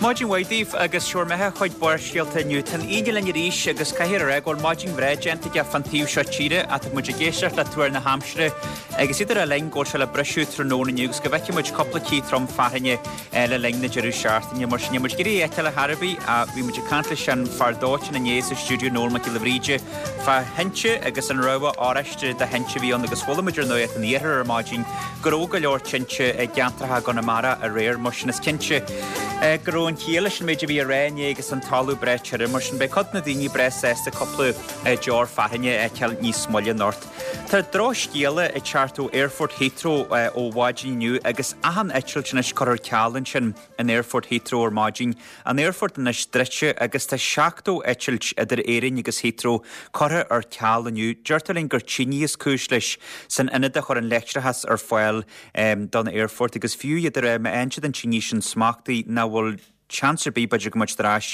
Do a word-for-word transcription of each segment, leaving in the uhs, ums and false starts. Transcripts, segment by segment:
Maidin mhaith daoibh agus seo mé chuig Barrscéalta inniu. Tá an Aoine linn arís agus caithfidh a rá go bhfuil maidin bhreá déanta aige fan taobh seo tíre ach tá muid ag éisteacht le tuar na haimsire agus idir a linn go bhfuil sé le briseadh tráthnóna inniu agus go bhfeicfidh muid cúpla cith trom fearthainne le linn na deireadh seachtaine mar sin níl muid ag iarraidh é a fheiceáil ar chor ar bith ach bhí muid ag caint leis an fear dóiteáin inné sa stiúideo Noel Mac Giolla Bhríde fá thinte agus an rabhadh oráiste de thinte a bhí ann agus chuala muid ar nuacht an iarthar ar maidin go raibh go leor tinte i gceantracha Chonamara aréir mar sin is cinnte go raibh an chiall leis an méid a bhí á rá inné agus an talamh breá tirim mar sin beidh cuid na daoine breá sásta cúpla deoir fearthainne a fheiceáil níos moille anocht. Tá drochscéala ag teacht ó Aerfort Heathrow ó mhaidin inniu agus achan eitilt anois curtha ar ceal ansin in Aerfort Heathrow ar maidin. An aerfort anois druidte agus tá seachtó eitilt idir Éirinn agus Heathrow curtha ar ceal inniu. Deirtear linn gur tine is cúis leis san ionad a chuireann leictreachas ar fáil don aerfort agus fiú idir má fhaigheann siad an tine sin smachtaithe nach bhfuil seans ar bith b'fhéidir go mbeidh ar ais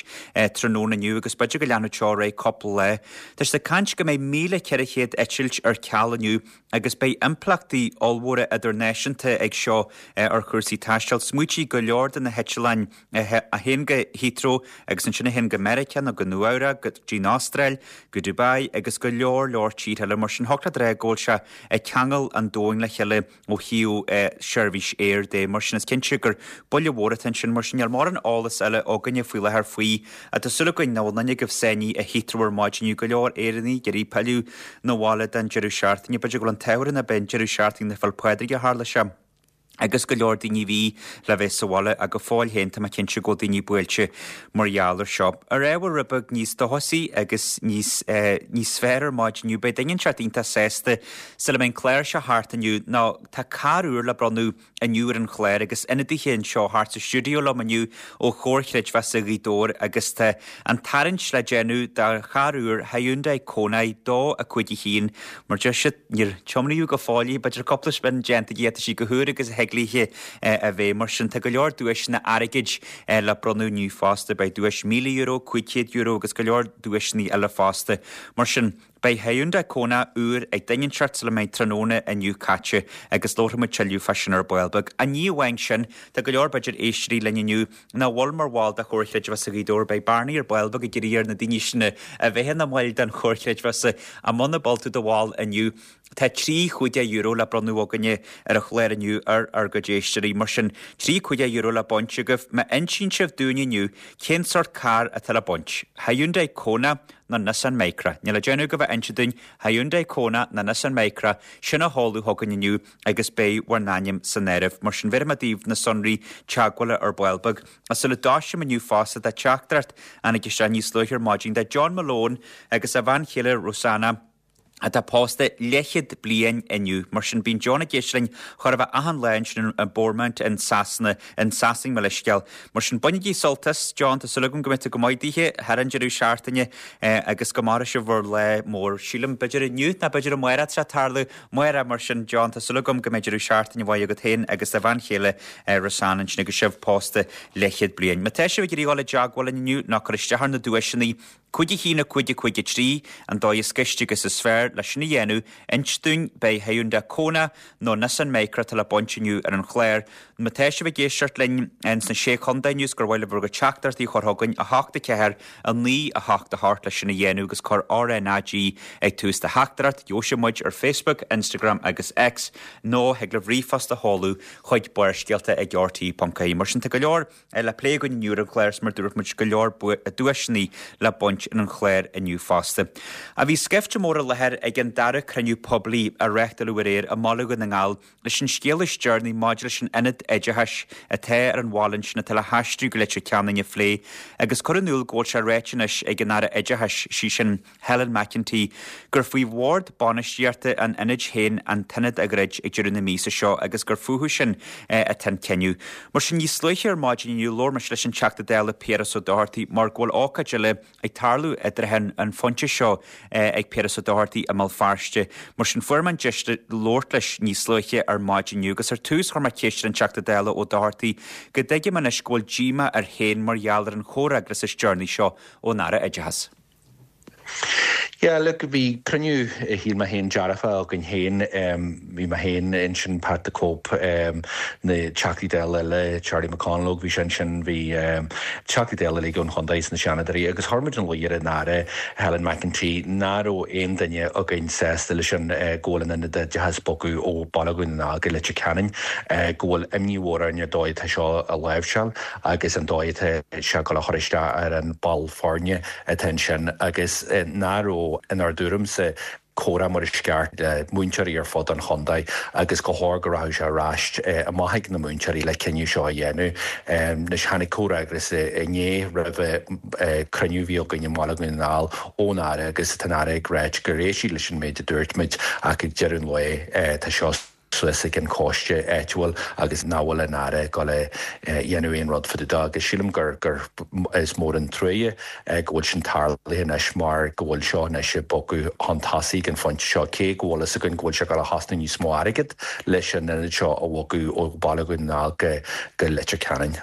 tráthnóna inniu agus b'fhéidir go leanfadh seo ar aghaidh cúpla lá. Tá siad ag caint go mbeidh míle ceithre chéad eitilt ar ceal inniu agus beidh impleachtaí ollmhóra idirnáisiúnta ag seo ar chúrsaí taistil. Smaoitigh go leor de na heitleáin a théann go Heathrow agus ansin a théann go Meiriceá nó go Nua-Eabhrac, go dtí an Astráil, go Dubai agus go leor leor tíortha eile mar sin thiocfadh leat a rá go bhfuil sé ag ceangal an domhain le chéile ó thaobh seirbhís aeir de mar sin is cinnte gur buille mhór atá ansin mar sin níl mórán eolas eile againne faoi láthair faoi ach tá súil againn nach bhfuil aon duine agaibh sáinnithe i Heathrow ar maidin inniu go leor Éireannaigh ag iarraidh pilleadh 'na bhaile don deireadh seachtaine b'fhéidir go bhfuil an t-ádh orainn ab é an deireadh seachtaine na Féile Pádraig a tharla sé. agus go leor daoine bhí le bheith sa bhaile ach go fóill féin tá mé cinnte go bhfuil daoine buailte mar gheall ar seo. Ar ábhar rud beag níos dóchasaí agus níos níos fearr ar maidin inniu beidh duine inteacht iontach sásta sula mbeidh an clár seo thart inniu nó tá carr úr le bronnadh inniu ar an chlár agus ionadaithe anseo thart sa stiúideo liom inniu ó Chomhar Chreidmheasa Ghaoth Dobhair agus tá an tarraingt le déanamh do charr úr Hyundai Kona dó a cúig a haon mar deir siad níor tiomnaíodh go fóill í b'fhéidir cúpla spin déanta aici tá sí chomh húr agus a thig léi a bheith mar sin tá go leor duaiseanna airgid le bronnadh inniu fosta beidh duais míle euro, cúig chéad euro agus go leor duaiseanna eile fosta mar sin beidh Hyundai Kona úr ag duine inteacht sula mbeidh tráthnóna inniu caite agus labharfaidh muid tuilleadh fá sin ar ball beag. Ach ní amháin sin tá go leor b'fhéidir éisteoirí linn inniu nach bhfuil mar bhall de Chomhar Chreidmheasa Ghaoth Dobhair beidh Barney ar ball beag ag iarraidh ar na daoine sin a bheith ina mbaill den Chomhar Chreidmheasa ach muna bhfuil tú i do bhall inniu. Tá trí chúig déag euro le bronnadh againne ar an chlár inniu ar ár gcuid éisteoirí mar sin trí cúig déag euro le baint agaibh má insíonn sibh dúinn inniu cén sórt carr atá le baint. Hyundai Kona nó Nissan Micra. Níl le déanamh agaibh ach inse dúinn Hyundai Kona nó Nissan Micra sin a sheoladh chugainn inniu agus beidh bhur n-ainm san áireamh. Mar sin bhéarfaidh mé daoibh na sonraí teagmhála ar ball beag. Ach sula dtoisim inniu fosta tá teachtaireacht a tháinig isteach níos luaithe ar maidin de John Malone agus a bhean chéile Rosanna atá pósta leathchéad bliain inniu. Mar sin bíonn John ag éisteacht linn chóir a bheith achan lá ansin in Bournemouth in Sasana in Sasain mo leithscéal. Mar sin bainigí sult as John tá súil agam go mbeidh tú go maith daoithe thar an deireadh seachtaine agus go mairfidh sibh bhur lá mór. Sílim b'fhéidir inniu ná b'fhéidir amárach atá sé ag tarlú amárach mar sin John tá súil agam go mbeidh deireadh seachtaine mhaith agat féin agus do bhean chéile Rosanna ansin agus sibh pósta leathchéad bliain. Má tá sibh ag iarraidh dul i dteagmháil linn inniu ná cur isteach ar na duaiseanna Cúig a haon a cúig a cúig a trí an dóigh is gaiste agus is fearr leis sin a dhéanamh, inis dúinn beidh Hyundai Kona nó Nissan Micra atá le baint inniu ar an chlár. Má tá sibh ag éisteacht linn sna Sé Chontae inniu is gur mhaith libh bhur gcuid teachtaireachtaí a chur chugainn a hocht a ceathair a naoi a hocht a hocht leis sin a dhéanamh agus cuir RNAG ag tús do theachtaireacht, gheobhaidh sibh muid ar Facebook, Instagram agus X nó thig libh ríomhphost a sheoladh chuig barrscéalta ag rte.ie. Mar sin tá go leor le plé againn inniu ar an chlár is mar dúirt muid go leor duaiseanna le baint ar an chlár inniu fosta. A bhí scaifte mór i láthair ag an dara cruinniú poiblí a reáchtáladh aréir i mBaile Dhún na nGall leis an scéal is deireanaí maidir leis an ionad oideachais atá ar an bhaile ansin atá le haistriú go Leitir Ceanainn a phlé agus cur in iúl go bhfuil sé ráite anois ag an Aire Oideachais, sí sin Helen McEntee, gur faoi bhord bainistíochta an ionaid féin an t-ionad a dhruid ag deireadh na míosa seo agus gur fúthu sin atá an cinneadh. Mar sin níos luaithe ar maidin inniu labhair mise leis an Teachta Dála Piaras Ó Dochartaigh mar go bhfuil ócáid eile ag tarlú i dtrátha an phointe seo ag Piaras Ó Dochartaigh i mBéal Feirste. Mar sin fuair mé an deis labhairt leis níos luaithe ar maidin inniu agus ar tús chuir mé ceist ar an Teachta Dála Ó Dochartaigh go dtuigim anois go bhfuil díomá air féin mar gheall ar an chomhfhreagras is deireanaí seo ón Aire Oideachais. Yeah, look, bhí cruinniú shíl mé féin dearfa againn féin bhí mé féin ansin Pat the Cope um, na Teachtaí Dála eile Charlie McConalogue bhí sin sin bhí um, Teachtaí Dála eile ón chontae na Seanadóirí agus chuir muid ina luí ar an Aire Helen McEntee nach raibh aon duine againn sásta leis an uh, go bhfuil an ionad oideachais bogtha ó Bhaile Dhún na nGall go Leitir Ceanainn uh, go bhfuil imní mhór orainn ar dóigh atá seo a láimhseáil agus an dóigh atá sé ag dul a chur isteach ar an ball foirne atá ansin agus uh, nach raibh inár dtuairimse comhrá mar is ceart le múinteoirí ar fud an chontae agus gur chóir go rachadh sé ar ais amach ag na múinteoirí le cinneadh seo a dhéanamh. Anois tháinig comhfhreagras inné roimh cruinniú a bhí againn i mBaile Dhún na nGall ón Aire agus tá an Aire ag rá gur éist sí leis an méid a dúirt muid ach ag deireadh an lae tá seo suas ag an choiste áitiúil agus nach bhfuil an Aire ag dul a dhéanamh aon rud fá dtaobh de agus sílim gur gur is mór an trua go bhfuil sin tarlaithe anois mar go bhfuil seo anois ag bogadh chun tosaigh an phointe seo cé go bhfuil a fhios againn go bhfuil sé ag dul a chosnú níos mó airgid leis an ionad seo a bhogadh ó Bhaile Dhún na nGall go go Leitir Ceanainn.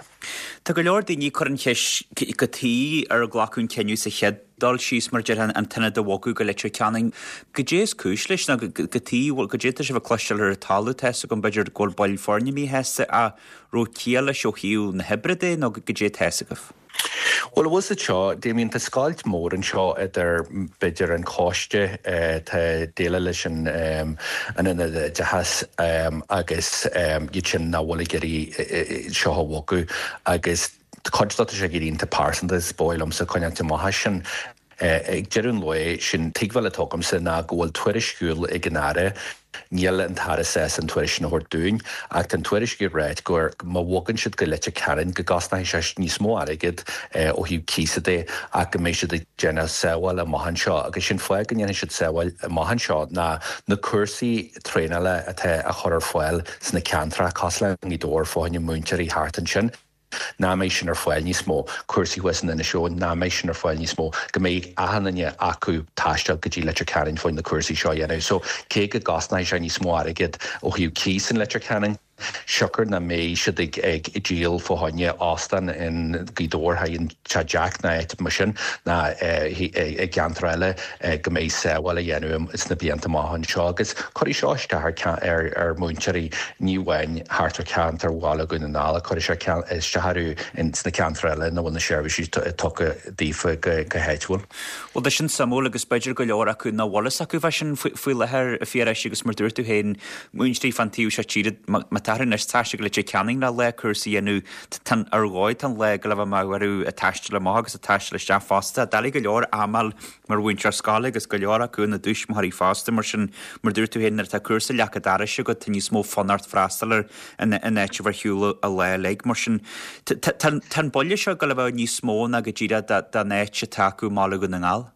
Tá go leor daoine ag cur an cheist cad chuige ar glacadh an cinneadh sa chéad dul síos mar deir an t-ionad a bhogadh go Leitir Ceanainn. Goidé is cúis leis ná gotaí goidé tá sibh ag cloisteáil ar an talamh tá a fhios agam b'fhéidir go bhfuil baill foirne míshásta a raibh ciall leis ó thaobh na hoibre de nó goidé tá a fhios agaibh. Well bhfuil sa seo Damien tá scoilt mór anseo idir b'fhéidir an coiste tá déileáil leis an an ionad oideachais agus iad sin nach bhfuil ag iarraidh seo a bhogadh agus cuid de sé ag iontach pearsanta is dóigh liomsa coinneáil amach as sin. Ag deireadh an lae sin tuigbheáil atá agamsa ná go bhfuil tuairisciúil ag an Aire Níl an tAire sásta an tuairisc sin a thabhairt dúinn, ach an tuairisc ag ráit gur má bhogann siad go Leitir Ceanainn go gcosnóidh sé níos mó airgid ó thaobh cíosa de ach go mbeidh siad ag déanamh sábháil amach anseo agus sin fáth go ndéanfaidh siad sábháil amach anseo ná na cúrsaí traenála atá a chur ar fáil sna ceantracha cosúil le Gaoth Dobhair fá choinne múinteoirí thart ansin. Nach mbeidh sin ar fáil níos mó cúrsaí thuas in Inis Eoghain, nach mbeidh sin ar fáil níos mó, go mbeidh achan duine acu taisteal go dtí Leitir Ceanainn fá choinne na cúrsaí seo a dhéanamh. So cé go gcosnóidh sé níos mó airgid ó thaobh cíos in Leitir Ceanainn, siocair nach mbeidh siad ag ag díol fá choinne óstán in Gaoth Dobhair an Teach Jack ná áit mar sin ná i gceantar eile go mbeidh sábháil a dhéanamh sna blianta amach anseo agus cuirfidh seo isteach ar ar mhúinteoirí ní amháin thart ar cheantar Bhaile Dhún na nGall cuirfidh sé isteach orthu sna ceantair eile ina bhfuil na seirbhísí tugtha daofa go háitiúil. Well tá sin suimiúil agus b'fhéidir go leor acu nach bhfuil fhios acu fá sin faoi láthair a Phiarais agus mar dúirt tú féin múinteoirí fan taobh seo tíre má tá anois taisteal go Leitir Ceanainn le le cúrsaí a dhéanamh ar dhóigh tá an lá go leith amach orthu ag taisteal amach agus ag taisteal isteach fosta. Doiligh go leor amáil mar mhúinteoir scoile agus go leor acu ina dtuismitheoirí fosta mar sin mar dúirt tú féin nuair atá cúrsa leac an dorais agat tá níos mó fonn ort freastal air in áit a bheith ar shiúl an lá uilig mar sin tá an buille seo go le bheith níos mó ná go díreach don áit atá acu i mBaile Dhún na nGall.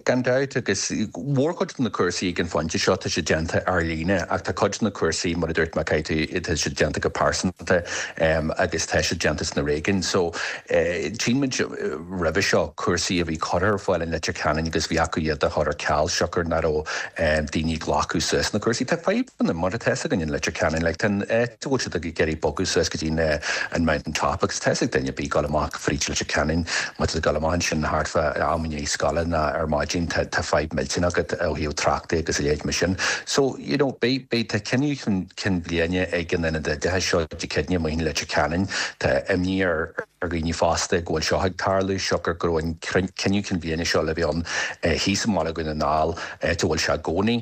Gan dabht agus mórchuid de na cúrsaí ag an phointe seo tá siad déanta ar líne ach tá cuid de na cúrsaí mar a dúirt mé tá siad déanta go pearsanta agus tá siad déanta sna réigiúin. So tchíonn muid roimhe seo cúrsaí a bhí curtha ar fáil in Leitir Ceanainn agus bhí acu iad a chur ar ceal siocair nach raibh daoine ag glacadh suas na cúrsaí. Tá fadhbanna mar atá againn in Leitir Ceanainn like tá an áit a bhfuil siad ag iarraidh bogadh suas go dtí an Mountain Top agus tá a fhios ag duine ar bith ag dul amach fríd Leitir Ceanainn má tá tú ag dul amach ansin thart fá am i ndiaidh scoile ná ar maidin tá tá fadhb millteanach agat ó thaobh tráchta agus a leithéid mar sin. So you know beidh beidh tá cinneadh chun cinn bliana ag an ionad oideachais seo Dé Céadaoine amuigh in Leitir Ceanainn. Tá imní ar ar dhaoine fosta go bhfuil seo ag tarlú siocair go raibh an cinneadh cinn bliana seo le bheith ann thíos i mBaile Dhún na nGall áit a bhfuil sé i gcónaí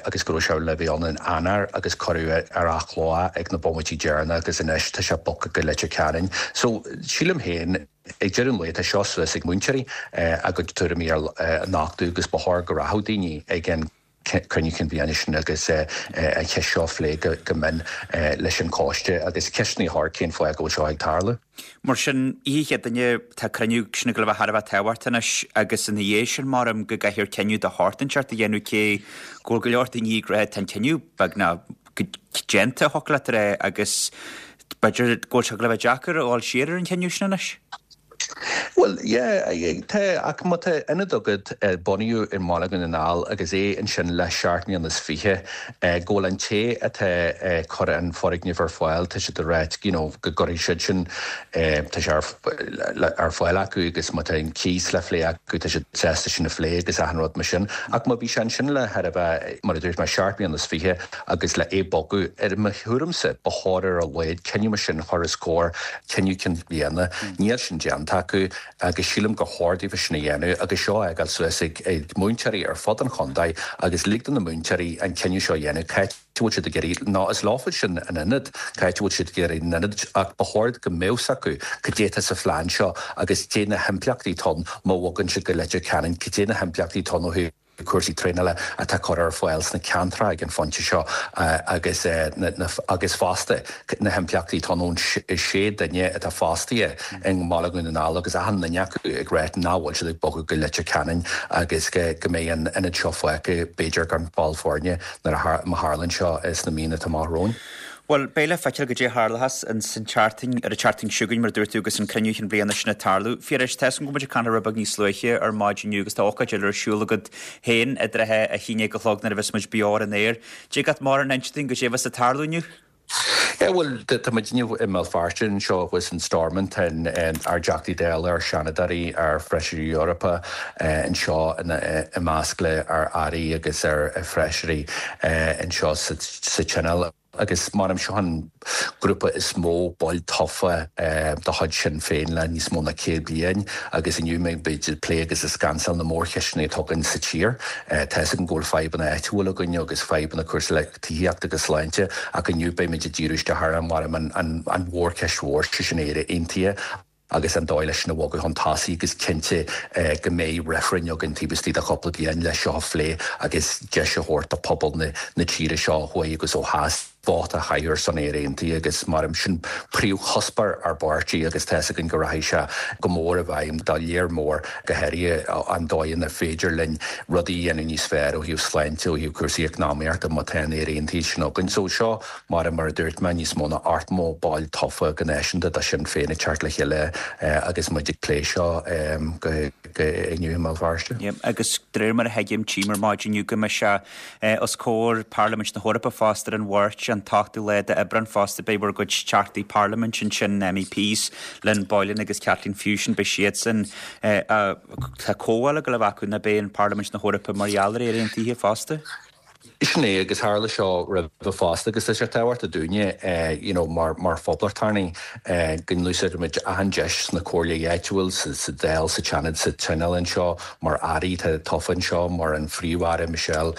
agus go raibh sé le bheith ann in Eanáir agus cuireadh ar athló ag na bomaití deireanacha agus anois tá sé bogtha go Leitir Ceanainn. So sílim féin ag deireadh an lae tá seo suas ag múinteoirí a gcuid tuairimí a nochtadh agus ba chóir go rachadh daoine ag an cruinniú cinn bliana sin agus an cheist seo a phlé go mion leis an choiste agus ceisteanna a chur cén fáth go bhfuil seo ag tarlú. Mar sin, oíche Chéadaoine, tá cruinniú sin ag dul a bheith thar a bheith tábhachtach anois agus ina dhiaidh sin maram go gcaithfear cinneadh de shórt inteacht a dhéanamh cé go bhfuil go leor daoine ag rá tá an cinneadh beagnach déanta, thiocfadh leat a rá, agus b'fhéidir go bhfuil sé ag dul a bheith deacair a dhul siar ar an chinneadh sin anois. Bhuel, yeah, tá, ach má tá ionad agat a bunaíodh i mBaile Dhún na nGall agus é ansin le seacht mbliana is fiche, go bhfuil an té atá ag cur an foirgneamh ar fáil, tá siad ag ráit, you know, go gcuirfidh siad sin, tá sé ar fáil acu agus má tá an cíos le phlé acu, tá siad sásta sin a phlé agus achan rud mar sin. Ach má bhí sé ansin le thar a bheith, mar a dúirt mé, seacht mbliana is fiche agus le é bogadh, ar mo thuairimse, ba chóir ar a laghad cinneadh mar sin a chur os comhair cinneadh cinn bhliana. Níl sin déanta acu agus sílim gur chóir daofa sin a dhéanamh agus seo a fhágáil suas ag múinteoirí ar fud an chontae agus lig do na múinteoirí an cinneadh seo a dhéanamh, cá háit a bhfuil siad ag iarraidh, nó is leofa sin an ionad, cá háit a bhfuil siad ag iarraidh an ionad ach ba chóir go mbeadh 's acu cad é atá sa phlean seo agus cad é na himpleachtaí atá ann má bhogann siad go Leitir Ceanainn, cad é na himpleachtaí atá ann ó thaobh cúrsaí traenála atá curtha ar fáil sna ceantracha ag an phointe seo agus agus fosta na himpleachtaí atá ann ón sé duine atá fostaithe i mBaile Dhún na nGall agus achan duine acu ag ráit nach bhfuil siad ag bogadh go Leitir Ceanainn agus go mbeidh an ionad seo fágtha b'fhéidir gan ball foirne nuair a má tharlaíonn seo sna míonna atá amach romhainn. Bhuel, beidh le feiceáil goidé a tharlóchas ins an tseachtain, ar an tseachtain seo chugainn, mar a dúirt tú, agus an cruinniú chinn bliana sin ag tarlú. Phiarais, tá 'fhios agam go bhfuil muid ag caint rud beag níos luaithe ar maidin inniu agus tá ócáid eile ar siúl agat féin i dtrátha a haon déag a chlog nuair a bheas muid beo ar an aer. Dtig leat mórán a inse dúinn goidé a bheas ag tarlú inniu? Yeah, bhuel, tá muid inniu i mBéal Feirste anseo thuas in Stormont, ár dTeachtaí Dála, ár Seanadóirí, ár Feisirí Eorpa anseo i measc le ár Airí agus ár Feisirí anseo sa Tionól. Agus mar seo an grúpa is mó baill tofa de chuid Sinn Féin le níos mó ná céad bliain agus inniu beidh muid ag plé agus ag scansáil na mórcheisteanna atá againn sa tír. Tá 'fhios againn go bhfuil fadhbanna áitiúla againn agus fadhbanna cúrsaí le tithíocht agus sláinte ach inniu beidh muid ag díriú isteach ar an an mhórcheist mhór, sé sin Éire Aontaithe. agus an dóigh leis sin a bhogadh chun tosaigh agus cinnte go mbeidh reifreann againn taobh istigh de chúpla bliain leis seo a phlé agus deis a thabhairt do phobal na tíre seo ó thuaidh agus ó theas vóta a chaitheamh ar son Éire Aontaithe agus mar sin príomhchuspóir ár bpáirtí agus tá 'fhios againn go rachaidh sé go mór i bhfeidhm do léar mór go háirithe an dóigh inar féidir linn rudaí a dhéanamh níos fearr ó thaobh sláinte ó thaobh cúrsaí eacnamaíochta má tá an Éire Aontaithe sin againn. So seo mar mar a dúirt mé níos mó ná ochtó ball tofa go náisiúnta de Sinn Féin ag teacht le chéile agus muid ag plé seo go inniu i mBéal Feirste. Agus de réir mar a thuigim tchím ar maidin inniu go mbeidh sé os comhair Parlaimint na hEorpa fosta ar an Mháirt an t-ochtú lá d'Aibreán fosta beidh bhur gcuid teachtaí parlaiminte ansin, MEPs, Lynn Boylan agus Kathleen Ferguson, beidh siadsan tá comhdháil ag dul a bheith acu ná beidh in Parlaimint na hEorpa mar gheall ar Éire Aontaithe fosta. Sin é agus tharla seo roimhe fosta agus tá sé tábhachtach dúinne you know mar mar phoblachtánaigh go n-úsáidimid achan deis sna comhairlí áitiúil, sa Dáil, sa tSeanad, sa Tionól anseo, mar airí atá tofa anseo, mar an Phríomh-Aire Michelle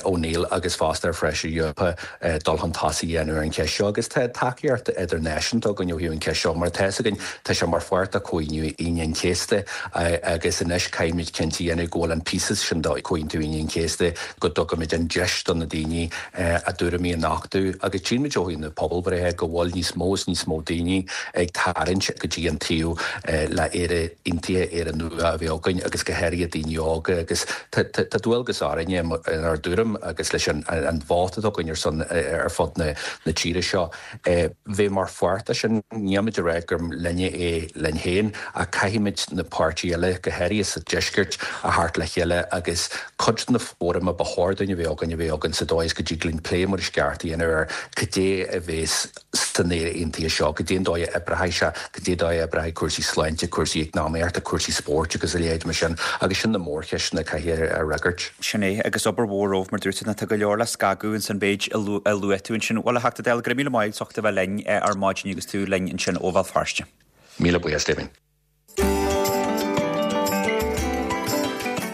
O'Neill agus fosta ar Feisirí Eorpa dul chun tosaigh a dhéanamh ar an cheist seo agus tá tacaíocht idirnáisiúnta againn ó thaobh an cheist seo mar tá 'fhios againn tá sé mar pháirt de Chomhaontú Aoine an Chéasta agus anois caithfimid cinnte a dhéanamh go bhfuil an píosa sin de Chomhaontú Aoine an Chéasta go dtugaimid an deis do na daoine a dtuairimí a nochtadh agus tchímid ó thaobh na pobalbhreithe go bhfuil níos mó is níos mó daoine ag tarraingt go dtí an taobh le Éire Aontaithe, Éire nua a bheith againn agus go háirithe daoine óga agus tá dualgas orainne inár dtuairim agus leis an vóta atá againn ar son ar fud na tíre seo bheith mar pháirt de sin. Nílimid ag rá gur linne é linn féin ach caithfimid na páirtithe eile, go háirithe sa deisceart, a theacht le chéile agus cuid de na fóraim a ba chóir dúinn a bheith againn a bheith againn sa dóigh is go dtig linn plé mar is ceart a dhéanamh ar cad é a bheas san Éire Aontaithe seo, cad é an dóigh a oibreoidh sé, cad é an dóigh a oibreoidh cúrsaí sláinte, cúrsaí eacnamaíochta, cúrsaí spóirt agus a leithéid mar sin agus sin na mórcheisteanna a caithfidh a fhreagairt. Sin é, agus obair mhór romhaibh mar dúirt tú, nó tá go leor le scagadh ins an mhéid a luaigh tú ansin. Bhuel, a Theachta Dála, go raibh míle maith agat as ucht a bheith linn ar maidin agus tú linn ansin ó Bhéal Feirste. Míle buíochas, Damien.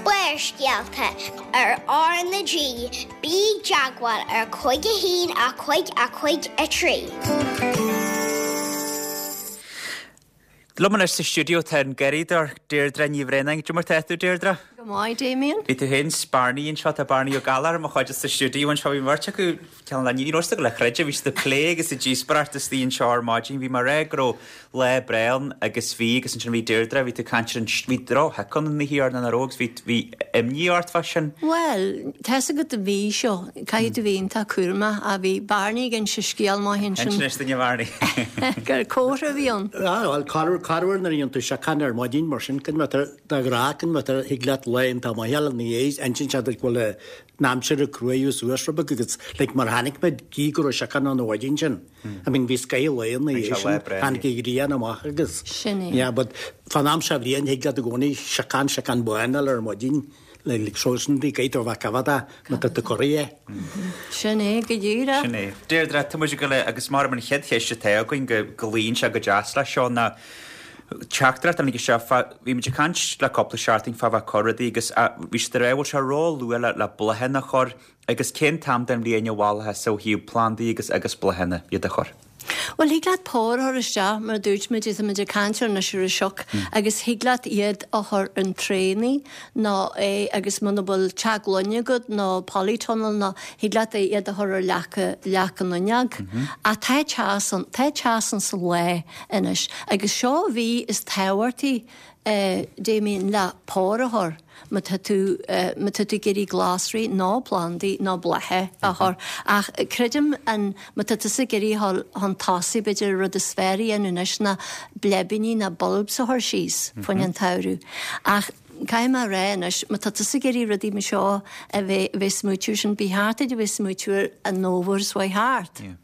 Barrscéalta ar R na G, bí i dteagmháil ar cúig a haon a cúig a cúig a trí. Liom anois sa stiúideo tá an Garraíodóir Deirdre Ní Bhraonáin. Cad é mar tá tú, Deirdre? Go Go maith, Damien. Bhí tú féin 's Barney anseo, tá Barney Ó Gallchóir i mo chuid sa stiúideo anseo, bhí beirt acu ceann le ní raibh le chreideamh, bhí siad ag plé agus ag díospóireacht istigh anseo ar maidin, bhí mé ag rá go raibh lá breá ann agus bhí agus ansin bhí Deirdre, bhí tú ag caint ar an bhí drochshoic ann na thiar ná raibh agus bhí bhí imní ort fá sin. Well, tá's agat an mhí seo, caithfidh tú bheith iontach cúramach a bhí Barney ag inse scéal maith ansin. Inis dúinn a Bharney. Gur comhartha a bhí ann. Ah, well, corruair nuair a dhéanann tú siocán ar maidin mar sin, cin de ghrá cin thig leat lá iontach maith eile ina dhiaidh, insíonn sé duit go bhfuil an aimsir ag cruaú suas rud beag agus like mar tháinig muid gí go raibh siocán ann an mhaidin sin. I mean bhí scoth lae ina Bhí dhiaidh sé lá sin, breá. tháinig an ghrian amach agus Sin é. Yeah, but fan am seo bhliain thig leat i gcónaí siocán siocán bán eile ar maidin le like so sin bhí gaith ó bheith cafada má tá tú corraithe. Sin é go díreach. Sin é. Deirdre, tá muid ag goil agus mar an chéad cheist atá againn go go luíonn sé go deas leis seo ná teachtaireacht a tháinig isteach fá bhí muid ag caint le cúpla seachtain fá bheith cur rudaí agus bhí siad ag rá bhfuil sé ró-luath le le bláthanna a chur agus cén t-am den bhliain a mholfá ó thaobh plandaí agus agus bláthanna iad a chur. Well thig leat pór a chur isteach mar dúirt muid tá muid ag caint ar anois ar an sioc agus thig leat iad a chur in traenaí nó é agus muna bhfuil teach gloine agat nó polytunnel nó thig leat é iad a chur ar leac leac an fhuinneog. Ach tá teas an tá teas an sa lá anois agus seo mhí is tábhachtaí eh, Damien le pór a chur má tá tú eh, má tá tú ag iarraidh glasraí nó plandaí nó blátha a chur ach creidim an má tá tusa ag iarraidh dhul chun tosaigh b'fhéidir rud is fearr a dhéanamh anois ná bleibíní ná bulbs a chur síos faoin an tsamhradh. Ach caithfidh mé rá anois má tá tusa ag iarraidh rudaí mar seo a bheith bheith smaointiú sin ba cheart duit a bheith smaointiú ar an fhómhar is uaidh thart. Yeah.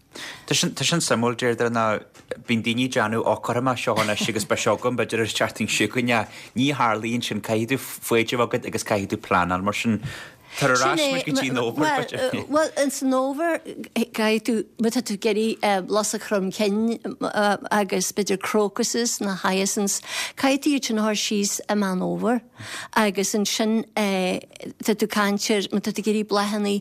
Tá sin tá sin suimiúil Deirdre ná bíonn daoine ag déanamh ó cuirfidh mé seo anois agus beidh seo agam b'fhéidir ar seachtain seo chugainn ní tharlaíonn sin caithfidh tú foighid agat agus caithfidh tú pleanáil mar sin tar ar ais muid go dtí an fhómhar b'fhéidir. Well in san fhómhar caithfidh tú má tá tú ag iarraidh lus Chrom Cinn agus b'fhéidir crocuses na hyacinths caithfidh tú iad sin a chur síos i Meán Fhómhair agus ansin tá tú caint ar má tá tú ag iarraidh bláthanna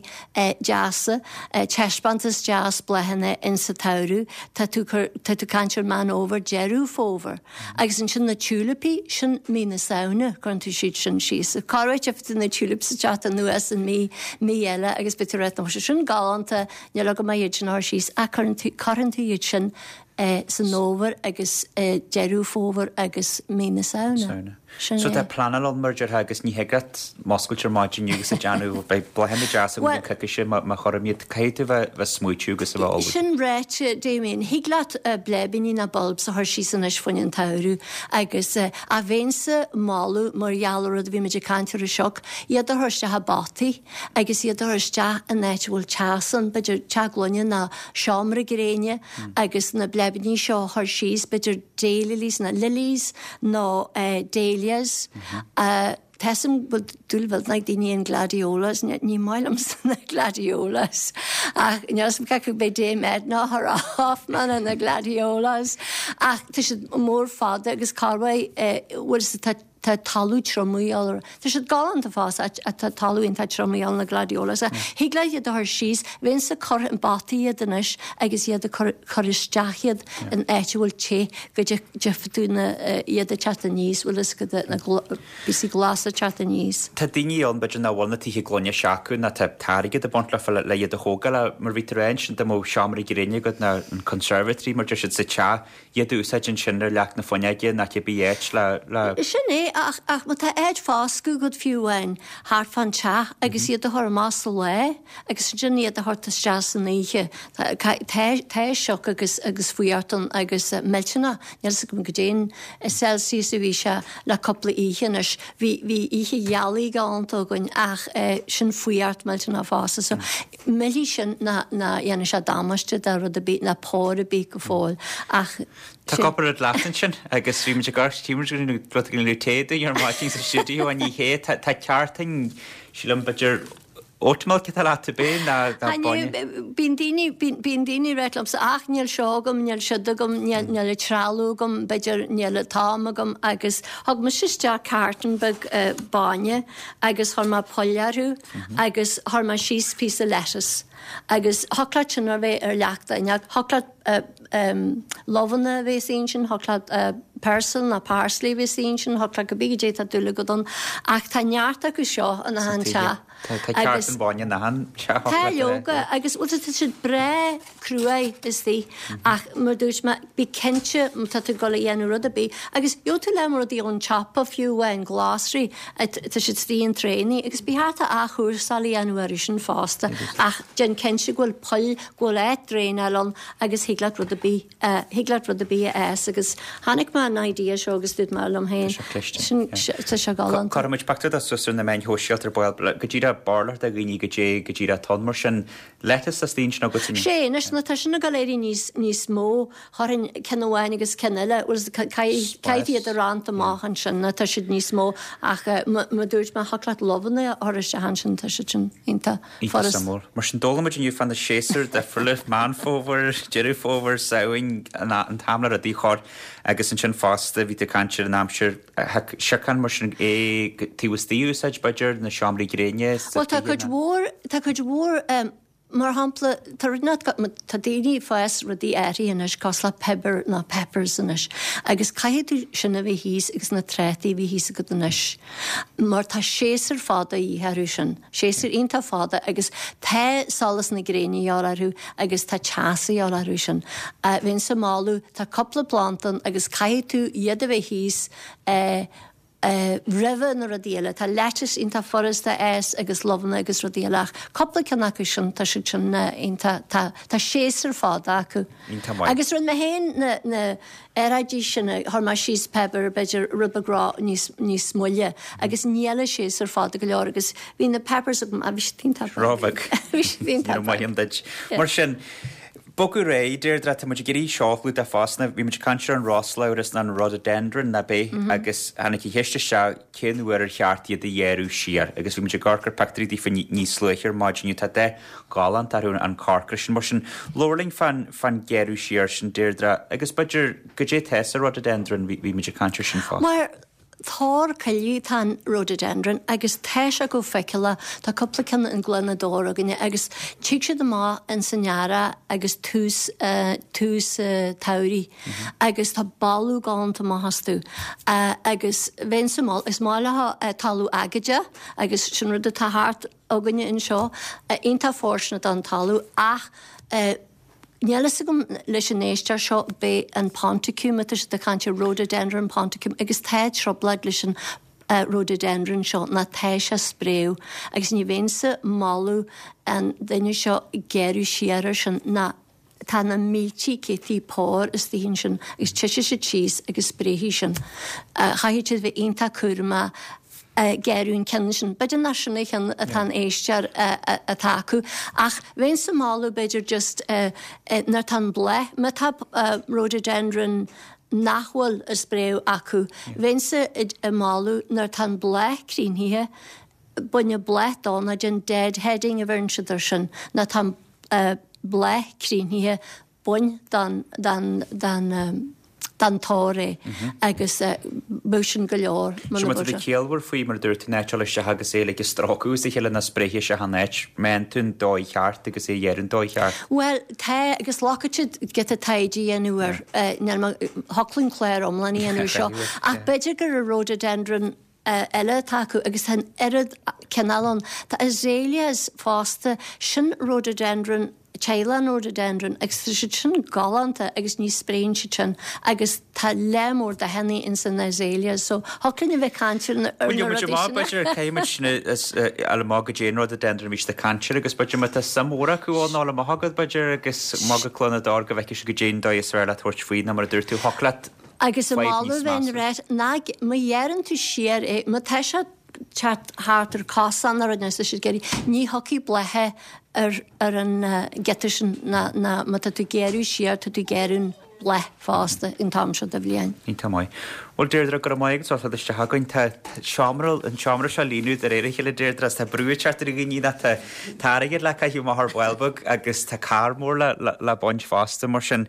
deasa taispeántas deas bláthanna in sa tsamhradh tá tú tá tú caint ar Meán Fhómhair Deireadh Fómhair agus ansin na tulipaí sin mí na Samhna cuireann tú siad sin síos. Cá tú na tulips teacht anuas an mí mí eile agus b'fhéidir ná sin galánta níl agam iad sin a chur síos ach cuireann tú cuireann tú iad sin eh, san fhómhar agus eh, Deireadh Fómhair agus mí na Samhna. Samhna. Sin So é. tá pleanáil ann mar deartha agus ní thig leat muscailt ar maidin agus ag déanamh beidh bláthanna deasa Well- an coicíse má má chuirim iad caithfidh tú bheith bheith smaointiú agus a bheith ullamh. Sin ráite Damien, thig leat uh, bleibíní na bulbs a chur síos anois faoin an tsamhradh agus uh, a bheinnse ag moladh mar gheall ar rud a bhí muid ag caint ar an sioc, iad a chur isteach i bpotaí agus iad a chur isteach in áit a bhfuil teas ann, b'fhéidir teach gloine ná seomra gréine agus na bleibíní seo a chur síos, b'fhéidir daylilies na lilies nó uh, dahlias. Uh, Tessim dúil bhfuil na daoine an gladiolas, ní maith liomsa na gladiolas. Ach níos ce be dé med ná har Hoffman an na gladiolas. Ach tá siad mór fada agus carhai bhfuil tá tá talamh trom Tá siad galánta fós tá talamh tá trom na gladiolas. Thig leat iad a chur síos, bheinnse ag cur i bpotaí iad anois agus iad a chur chur isteach iad in áit a bhfuil te go dtiocfaidh tú na iad a teacht aníos bhfuil is go na píosaí glasa teacht aníos. Tá daoine ann b'fhéidir nach bhfuil na tithe gloine s'acu ná tá airgead ag baint le le iad a thógáil mar bhí tar éis sin de mo seomra gréine agat ná an conservatory mar deir siad sa teach iad a úsáid ansin ar leac na fuinneoige ná cibé áit le le Sin é ach ach má tá áit foscadh agat fiú amháin thart fán teach agus iad a chur amach sa lá agus sin iad a chur isteach san oíche Tá sioc agus agus fuartan agus millteanach níl a fhios agam goidé an Celsius a bhí sé le cúpla oíche anois bhí bhí oíche ghealaí galánta againn ach sin fuart millteanach fosta so millí sin na na dhéanann sé damáiste de rud a bí na pór a bí go fóill ach Tá cúpla rud leat ansin agus bhí muid ag gar té ar maidin sa stiúideo an ní hé tá ceartain sílim b'fhéidir oat milk atá leat bé ná bainne. Bíonn daoine bíonn daoine ag rá liomsa ach níl seo agam níl siúd agam níl trealamh agam b'fhéidir níl t-am agam agus thug mise isteach carton beag bainne agus chuir mé poll orthu agus chuir mé síos píosa lettuce. Agus thiocfadh sin a bheith ar leac d'fhuinneog thiocfadh Luibheanna a bheith istigh ansin, thiocfadh leat peirsil ná parsley a bheith istigh ansin, thiocfadh leat cibé goidé tá dúil agat ann. Ach tá neart acu seo in achan teach. Tá ceart an bhainne in achan teach. Tá leoga agus bhuel tá siad breá cruaidh istigh ach mar dúirt mé bí cinnte má tá tú ag dul a dhéanamh rud ar bith agus gheobhaidh tú leath rudaí ón tsiopa fiú amháin glasraí tá siad istigh in traenaí agus ba cheart athchúrsáil a dhéanamh orthu sin fosta ach déan cinnte go bhfuil poill go bhfuil áit draenáil ann agus thig leat rud ar bith thig leat rud ar bith a fhás agus chonaic mé an idea seo agus dúirt mé liom féin sin tá sé galánta. Cuirfidh muid pictiúr de suas ar na meáin shóisialta ar ball go díreach barúlacht do dhaoine goidé go díreach atá ann mar sin lettuce as daoine sin agat Sé anois nuair tá sin ag dul éirí níos níos mó chuirfinn ceann amháin agus ceann eile bhuel caithfidh caithfidh iad a roinnt amach ansin nuair tá siad níos mó ach mar dúirt mé thiocfadh leat luibheanna a chur isteach ansin tá siad sin iontach Iontach suimiúil. Mar sin d'fhoghlaim muid inniu fá na séasúir difriúla, Meán Fómhair, Deireadh Fómhair, Samhain, an t-am le rudaí a chur agus ansin fosta bhí tú ag caint ar an aimsir siocán mar sin é taobh istigh a úsáid b'fhéidir, na seomraí gréine Bhuel tá cuid mhór, tá cuid mhór mar shampla tá rud nach tá daoine ag fás rudaí áirithe anois cosúil le piobar nó peppers anois agus caithfidh tú sin a bheith thíos agus na trátaí a bheith thíos agat anois mar tá séasúr fada a dhíth orthu sin, séasúr iontach fada agus tá solas na gréine a dhíobháil orthu agus tá teas a dhíobháil orthu sin. Bheinnse ag moladh, tá cúpla planda ann agus caithfidh tú iad a bheith thíos roimhe na rudaí eile. Tá lettuce iontach furasta a fhás agus luibheanna agus rudaí eile ach cúpla ceann acu sin, tá siad sin iontach, tá, tá séasúr fada acu. Iontach maith. Agus rinne mé féin na, na earráidí sin, chuir mé síos pepper b'fhéidir rud beag ró, níos, níos moille agus níl a séasúr fada go leor agus bhí na peppers agam, ah bhí siad iontach breá. Róbheag. Bhí siad iontach Ní raibh maith breá. ann duit. Mar sin, bogadh ar aghaidh, Deirdre, tá muid ag iarraidh seo a chlúdach fosta. Bhí muid ag caint ar an roslabhras nó an rhododendron ná b'é agus tháinig an cheist isteach cén uair ar cheart iad a ghearradh siar agus bhí muid ag amharc ar pictiúirí daofa níos luaithe ar maidin inniu. Tá dath galánta orthu an corcra sin. Mar sin, labhair linn fán fán ghearradh siar sin, Deirdre, agus b'fhéidir goidé atá sa rhododendron, bhí bhí muid ag caint air sin fosta. Mar tor coille atá an rhododendron agus tá sé chomh feiceálach, tá cúpla ceann in Gleann na dTor againne agus tig siad amach ins an earrach agus tús tús tsamhraidh agus tá boladh galánta amach astu agus bheinnse ag moladh, is maith leo talamh aigéadach agus sin rud atá thart againne anseo, iontach fóirsteanach don talamh ach Níl fhios agam leis an éisteoir seo, b'é an ponticum atá siad ag caint ar rhododendron ponticum agus tá trioblóid leis an rhododendron seo ná tá sé ag spréadh agus ní bheinnse ag moladh an duine seo gearradh siar air sin ná tá na míltí céadtaí pór istigh ansin agus titfidh siad síos agus spréifidh sin. Chaithfidh siad bheith iontach cúramach gearradh an ceann sin. B'fhéidir nach sin an ceann atá an éisteoir atá acu ach bheinnse ag moladh b'fhéidir just nuair atá an bláth, má tá rhododendron nach bhfuil ag spréadh acu, bheinnse ag moladh nuair atá an bláth críochnaithe, bain an bláth dó nó déan deadheading a bheireann siad air sin, nuair atá an bláth críochnaithe, bain den den den den tor é agus bheadh sin go leor muna Sin má tá tú ciallmhar faoi mar a dúirt tú an áit a dhul isteach agus é like ag stróiceadh as a chéile ná spréithe isteach an áit, má fhaigheann tú an dóigh cheart agus é a ghearradh an dóigh cheart. Bhuel tá agus glacfaidh siad giota taighde a dhéanamh air, níl mé, thiocfadh linn clár iomlán a dhéanamh air seo ach b'fhéidir gur an rhododendron eile atá acu agus tá an oiread cineál ann. Tá azaleas fosta, sin rhododendron, teaghlach an rhododendron agus tá siad sin galánta agus ní spréann siad sin agus tá lear mór dathanna ins an azaleas so thiocfadh linn a bheith ag caint ar na Bhuel, gheobhaidh muid rudaí amach, sin. b'fhéidir, caithfidh muid sin a fháil amach goidé an rhododendron a bhí siad ag caint air agus b'fhéidir má tá suim mhór acu ann, fháil amach agat b'fhéidir agus amach go Cluain na dTor go bhfeicfidh siad goidé an dóigh is fearr leat tabhairt faoi nó mar a dúirt tú, thiocfadh leat Agus an fadhb moladh níos bheinn measa. ráit ná má ghearrann tú siar é, má tá sé teacht thart ar cosán nó rud nó tá siad ag iarraidh, ní thiocfaidh blátha ar ar an giota sin ná ná má tá tú ag gearradh siar tá tú ag gearradh an bláth fosta an t-am seo de bhliain. Iontach maith. Bhuel Deirdre, go raibh maith agat as ucht isteach chugainn. Tá seomra, an seomra seo líonadh de réir a chéile Deirdre is tá brú ag teacht ar dhaoine ná tá tá airgead le caitheamh amach ar ball beag agus tá carr mór le le le baint fosta mar sin.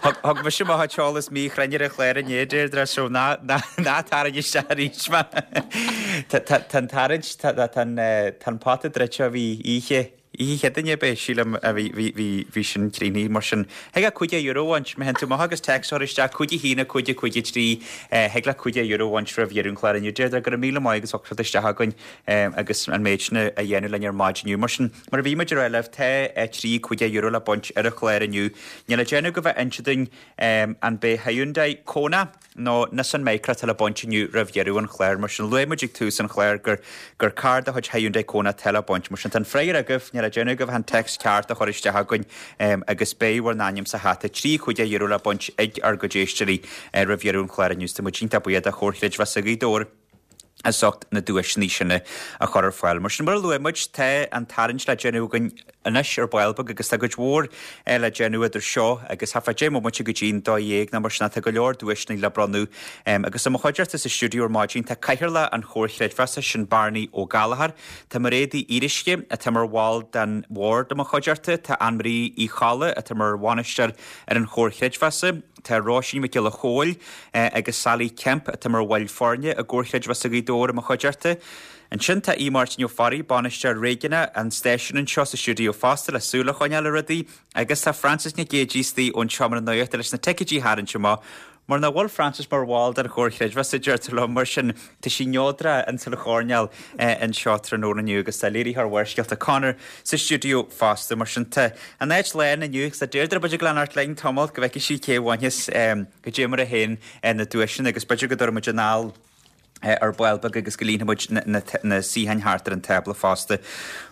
Thug mise mo chuid eolas míchruinn ar an chlár inné, Deirdre, so ná tarraing isteach arís mé. Tá an tarraingt, tá an pota druidte ó bhí oíche Oíche Chéadaoine ab é, sílim, a bhí, bhí, bhí, bhí sin críochnaithe mar sin. Thig leat cúig déag euro a bhaint, má théann tú amach agus téacs a chur isteach, cúig a haon, a cúig, a cúig a trí, thig leat cúig déag euro a bhaint roimh dheireadh an chláir inniu. Deirdre, go raibh míle maith agat as ucht isteach againn agus an méid sin a dhéanamh linn ar maidin inniu. Mar sin, mar a bhí muid ag rá libh, tá trí cúig déag euro le baint ar an chlár inniu. Níl le déanamh ach bheith ag inse dúinn an b'é Hyundai Kona nó Nissan Micra atá le baint inniu roimh dheireadh an chláir. Mar sin, luaigh muid ag tús an chláir gur gur carr de chuid Hyundai Kona atá le baint. Mar sin, tá an freagra agaibh, níl le déanamh ach bheith an téacs ceart a chur isteach againn agus beidh bhur n-ainm sa hata. Trí cúig déag euro le baint ag ár gcuid éisteoirí roimh dheireadh an chláir inniu. Tá muid iontach buíoch de Chomhar Chreidmheasa Ghaoth Dobhair as ucht na duaiseanna sin a chur ar fáil. Mar sin, mar a luaigh muid, tá an tarraingt le déanamh againn anois ar ball beag agus tá cuid mhór le déanamh idir seo agus thart fá deich mbomaite go dtí'n dó dhéag nó mar sin tá go leor duaiseanna le bronnadh agus i mo chuideachta sa stiúideo ar maidin tá Cathaoirleach an Chomhair Chreidmheasa sin Barney Ó Gallchóir, tá Mairéad Uí Fhíoruisce atá mar bhall den bhord i mo chuideachta, tá Anne-Marie Uí Cholla atá mar bhainisteoir ar an Chomhar Chreidmheasa, Tá Róisín Mhic Giolla Chóill agus Sally Kemp atá mar bhaill foirne i gComhar Chreidmheasa Ghaoth Dobhair i mo chuideachta. Ansin tá Aodh Máirtín Ó Fearraigh, bainisteoir réigiúnach an stáisiúin anseo sa stiúideo fosta le súil a choinneáil ar rudaí agus tá Frances Nic Géadaigh istigh ón tseomra nuachta leis na ticéidí a tharraingt amach. Mar nach bhfuil Frances mar bhall den Chomhar Chreidmheasa, deirtear liom, mar sin tá sí neodrach ins an choirnéal anseo tráthnóna inniu agus tá léiritheoir Bharrscéalta Conor sa stiúideo fosta. Mar sin tá an áit lán inniu agus tá Deirdre b'fhéidir ag leanacht linn tamall go bhfeicfidh sí cé a bhainfeas goidé mar a théann na duaiseanna agus b'fhéidir go dtabharfaidh muid anall ar ball beag agus go líonfaidh muid na suíocháin thart ar an tábla fosta.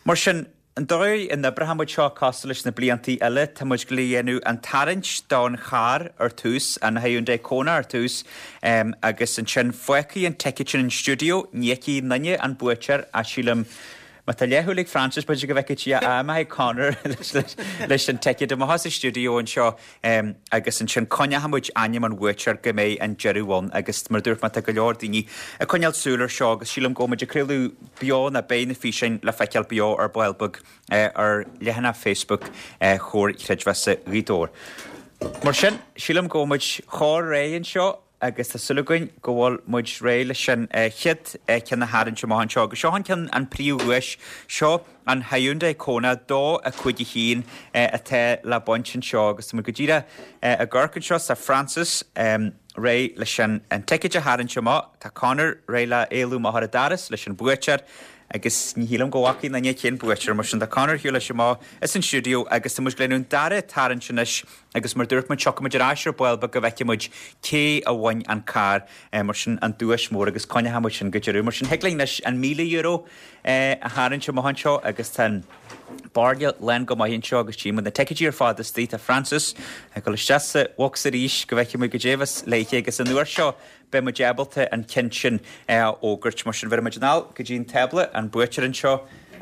Mar sin, an dóigh a n-oibreoidh muid seo cosúil leis na bliantaí eile, tá muid ag déanamh an tarraingt don charr ar tús, an Hyundai Kona ar tús, agus ansin fágfaidh an ticéad sin an stiúideo, ní fheicfidh aon duine an buaiteoir ach sílim, má tá leathshúil ag Frances b'fhéidir go bhfeicfidh sí a maith Conor leis an ticéad amach as an stiúideo anseo agus ansin coinneoidh muid ainm an bhuaiteoir go mbeidh an deireadh ann agus mar dúirt mé tá go leor daoine ag coinneáil súil ar seo agus sílim go bhfuil muid ag craoladh beo nó beidh na físeáin le feiceáil beo ar ball beag ar leathanach Facebook Chomhar Chreidmheasa Ghaoth Dobhair. Mar sin, sílim go bhfuil muid chomh réidh anseo agus tá súil againn go bhfuil muid réidh leis an chéad ceann a tharraingt amach anseo. Agus seo an ceann an príomhdhuais, seo an Hyundai Kona dó a cúig a haon atá le baint anseo agus tá muid go díreach ag amharc anseo tá Frances réidh leis an an ticéad a tharraingt amach, tá Conor réidh le éalú amach ar an doras leis an buaiteoir agus ní shílim go bhfaca aon duine cén buaiteoir mar sin tá Conor ar shiúl leis amach as an stiúideo agus tá muid ag déanamh an dara tarraingt anois agus mar dúirt muid tiocfaidh muid ar ais ar ball beag go bhfeicfidh muid cé a bhain an carr mar sin an duais mór agus coinneoidh muid sin go deireadh mar sin thig linn anois an míle euro a tharraingt amach anseo agus tá an bairille lán go maith anseo agus tchí muid na ticéidí ar fad istigh tá Frances ag dul isteach sa bhocsa arís go bhfeicfidh muid goidé a bheas léithe agus an uair seo beidh muid ábalta an ceann sin a fhógairt. Mar sin bheir muid anall go dtí an tábla, an buaiteoir anseo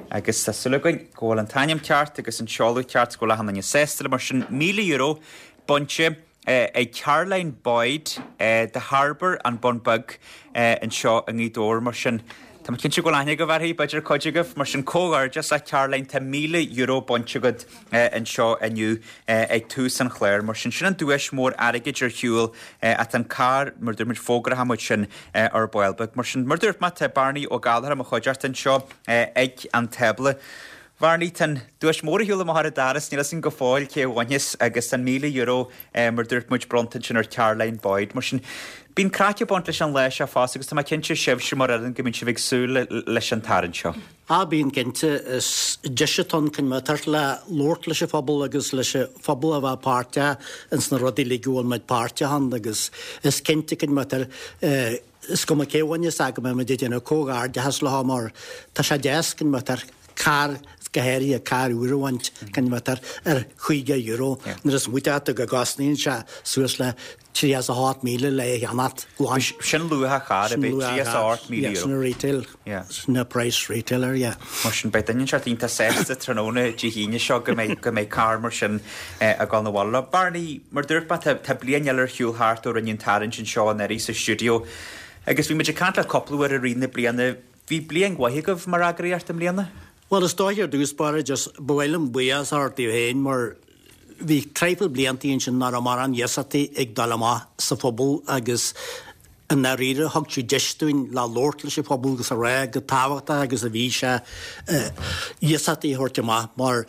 agus tá súil againn go bhfuil an t-ainm ceart agus an seoladh ceart go bhfuil achan duine sásta le mar sin míle euro bainte ag Caroline Boyd The Harbour an Bun Beag anseo i nGaoth Dobhair mar sin Tá mé cinnte go bhfuil aithne agaibh uirthi, b'fhéidir cuid agaibh, mar sin comhghairdeas a Caroline, tá míle euro bainte agat anseo inniu ag tús an chláir. Mar sin, sin an duais mór airgid ar shiúl at an carr, mar dúirt muid, fógróidh muid sin ar ball beag. Mar sin, mar dúirt mé, tá Barney Ó Gallchóir i mo chuideachta anseo ag an tábla. Bharney, tá an duais mór ar shiúl amach ar an doras, níl fhios againn go fóill cé a bhainfeas agus an míle euro mar dúirt muid bronnta ansin ar Caroline Boyd. Mar sin, bíonn craic ag baint leis an lá seo fosta agus tá mé cinnte sibhse mar fhoireann go mbíonn sibh ag súil leis an tarraingt seo. Á bíonn cinnte, is deis atá ann chun tabhairt le labhairt leis an phobal agus leis an phobal a bheith páirteach ins na rudaí uilig a bhfuil muid páirteach ann agus is cinnte chun is cuma cé a bhainfeas é go mbeidh muid ag déanamh comhghairdeachas leo mar tá sé deas chun carr go háirithe carr úr a bhaint chun bheith ar ar chaoga euro nuair is smaoineoidh tú go gcosnaíonn sé suas le tríocha is a hocht míle le é a cheannacht glan. Sin luach an chairr, ab é tríocha is a hocht míle euro? Sin retail, sin an price retailer, yeah. Mar sin beidh duine inteacht iontach sásta tráthnóna Dé hAoine seo go mbeidh go mbeidh carr mar sin ag dul 'na bhaile leo. Barney, mar dúirt mé tá tá bliain eile ar shiúl thart ó rinneadh an tarraingt anseo anuraidh sa stiúideo agus bhí muid ag caint le cúpla uair i rith na bliana. Bhí bliain mhaith agaibh mar eagraíocht i mbliana? Bhuel, is dóiche ar dtús báire, just ba mhaith liom buíochas a thabhairt daoibh féin mar bhí traidhfil bliantaí ansin nach raibh mórán iasachtaí ag dul amach sa phobal agus I ndáiríre thug siad deis dúinn le labhairt leis an phobal agus a rá go tábhachtach agus a bhí sé iasachtaí a thabhairt amach mar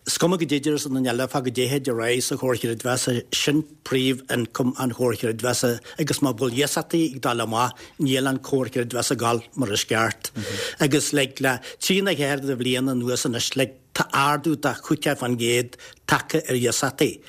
is cuma goidé a déarfas an duine eile fá goidé a rá sa Chomhar Creidmheasa, sin príomh income an Chomhar Creidmheasa agus má bhfuil iasachtaí ag dul amach níl an Comhar Creidmheasa ag dul mar is ceart. Agus like le trí nó ceathair de bhliain anuas anois like tá ardú de chúig faoin gcéad tagtha ar iasachtaí.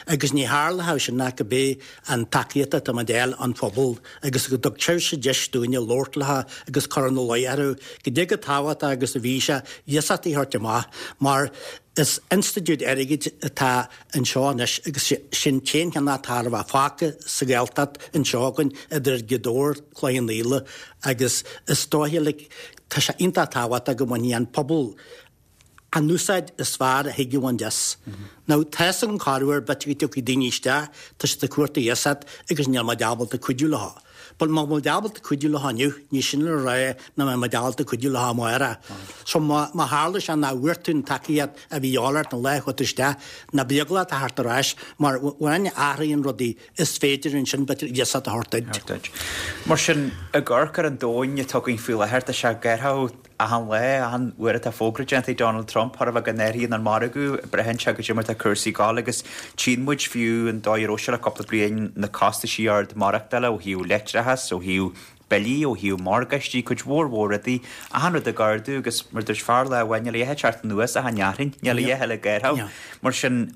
Agus ní tharlódh sin ach go bé an tacaíocht atá muid a fháil ón phobal agus go dtug sibhse deis dúinne labhairt leo agus cur ina luí orthu goidé chomh tábhachtach agus a bhí sé iasachtaí a thabhairt amach mar is institiúid airgid atá anseo anois agus sin t-aon cheann atá ar bheith fágtha sa Ghaeltacht anseo againn idir Gaoth Dobhair, Cloich Cheann Fhaola agus is dóiche like tá sé iontach tábhachtach go mbainfidh an pobal an úsáid is fearr a thig a bhaint as. Now, tá fhios agam corruair b'fhéidir go dtiocfaidh daoine isteach, tá siad ag cuartú iasacht agus níl muid ábalta cuidiú leo. But má bhfuil muid ábalta cuidiú leo inniu, ní sin le rá nach mbeidh muid ábalta cuidiú leo amárach. So má má tharla sé nach bhfuair tú an tacaíocht a bhí de dhíobháil ort an lá a chuaigh tú isteach, ná bí eaglach a theacht ar ais mar nuair a athraíonn rudaí is féidir ansin b'fhéidir iasacht a thabhairt duit. Mar sin, ag amharc ar an domhan atá againn faoi láthair, tá sé ag athrú Achan lá, achan uair atá fógra déanta ag Donald Trump, chóir a bheith go n-athraíonn an margadh, braitheann sé goidé mar atá cúrsaí ag gabháil agus tchíonn muid fiú an dóigh a raibh sé le cúpla bliain, na costaisí ard maireachtála ó thaobh leictreachas, ó thaobh billí, ó thaobh morgáistí, cuid mhór mhór rudaí, achan rud ag ardú agus mar dúirt fear lá amháin, níl a dhath ag teacht anuas ach an fhearthainn, níl a dhath eile ag athrú. Mar sin.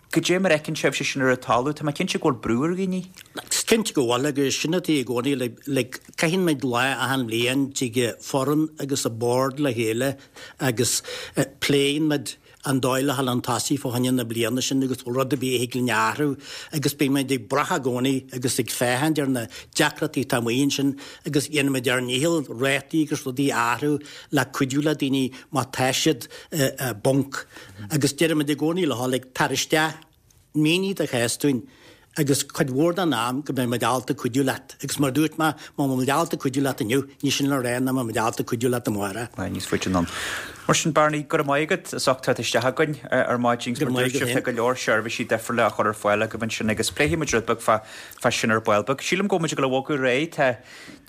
Goidé mar a fheiceann sibhse sin ar an talamh? Tá mé cinnte go bhfuil brú ar dhaoine. Is cinnte go bhfuil agus sin atá i gcónaí like caitheann muid lá achan bhliain tig foireann agus an bord le chéile agus pléann muid an dóigh le dhul chun tosaigh fá choinne na bliana sin agus bhfuil rud ar bith a thig linn a athrú agus bíonn muid ag brath i gcónaí agus ag féachaint ar na deacrachtaí atá amuigh ansin agus dhéanann muid ár ndícheall rátaí agus rudaí a athrú le cuidiú le daoine má tá siad i bponc. Agus deirimid i gcónaí leo, like, tar isteach, mínigh do chás dúinn agus cuid mhór den am go mbeidh muid ábalta cuidiú leat. Agus mar a dúirt mé, má bhfuil muid ábalta cuidiú leat inniu, ní sin le rá nach mbeidh muid ábalta cuidiú leat amárach. Aye, níos faide anonn. Mar sin, Barney, go raibh maith agat as ucht teacht isteach againn ar maidin. Go raibh maith agat Tá féin. go leor seirbhísí difriúla á chur ar fáil agaibh ansin agus pléifidh muid rud beag fá, fá sin ar ball beag. Sílim go bhfuil muid ag dul a bhogadh ar aghaidh. Tá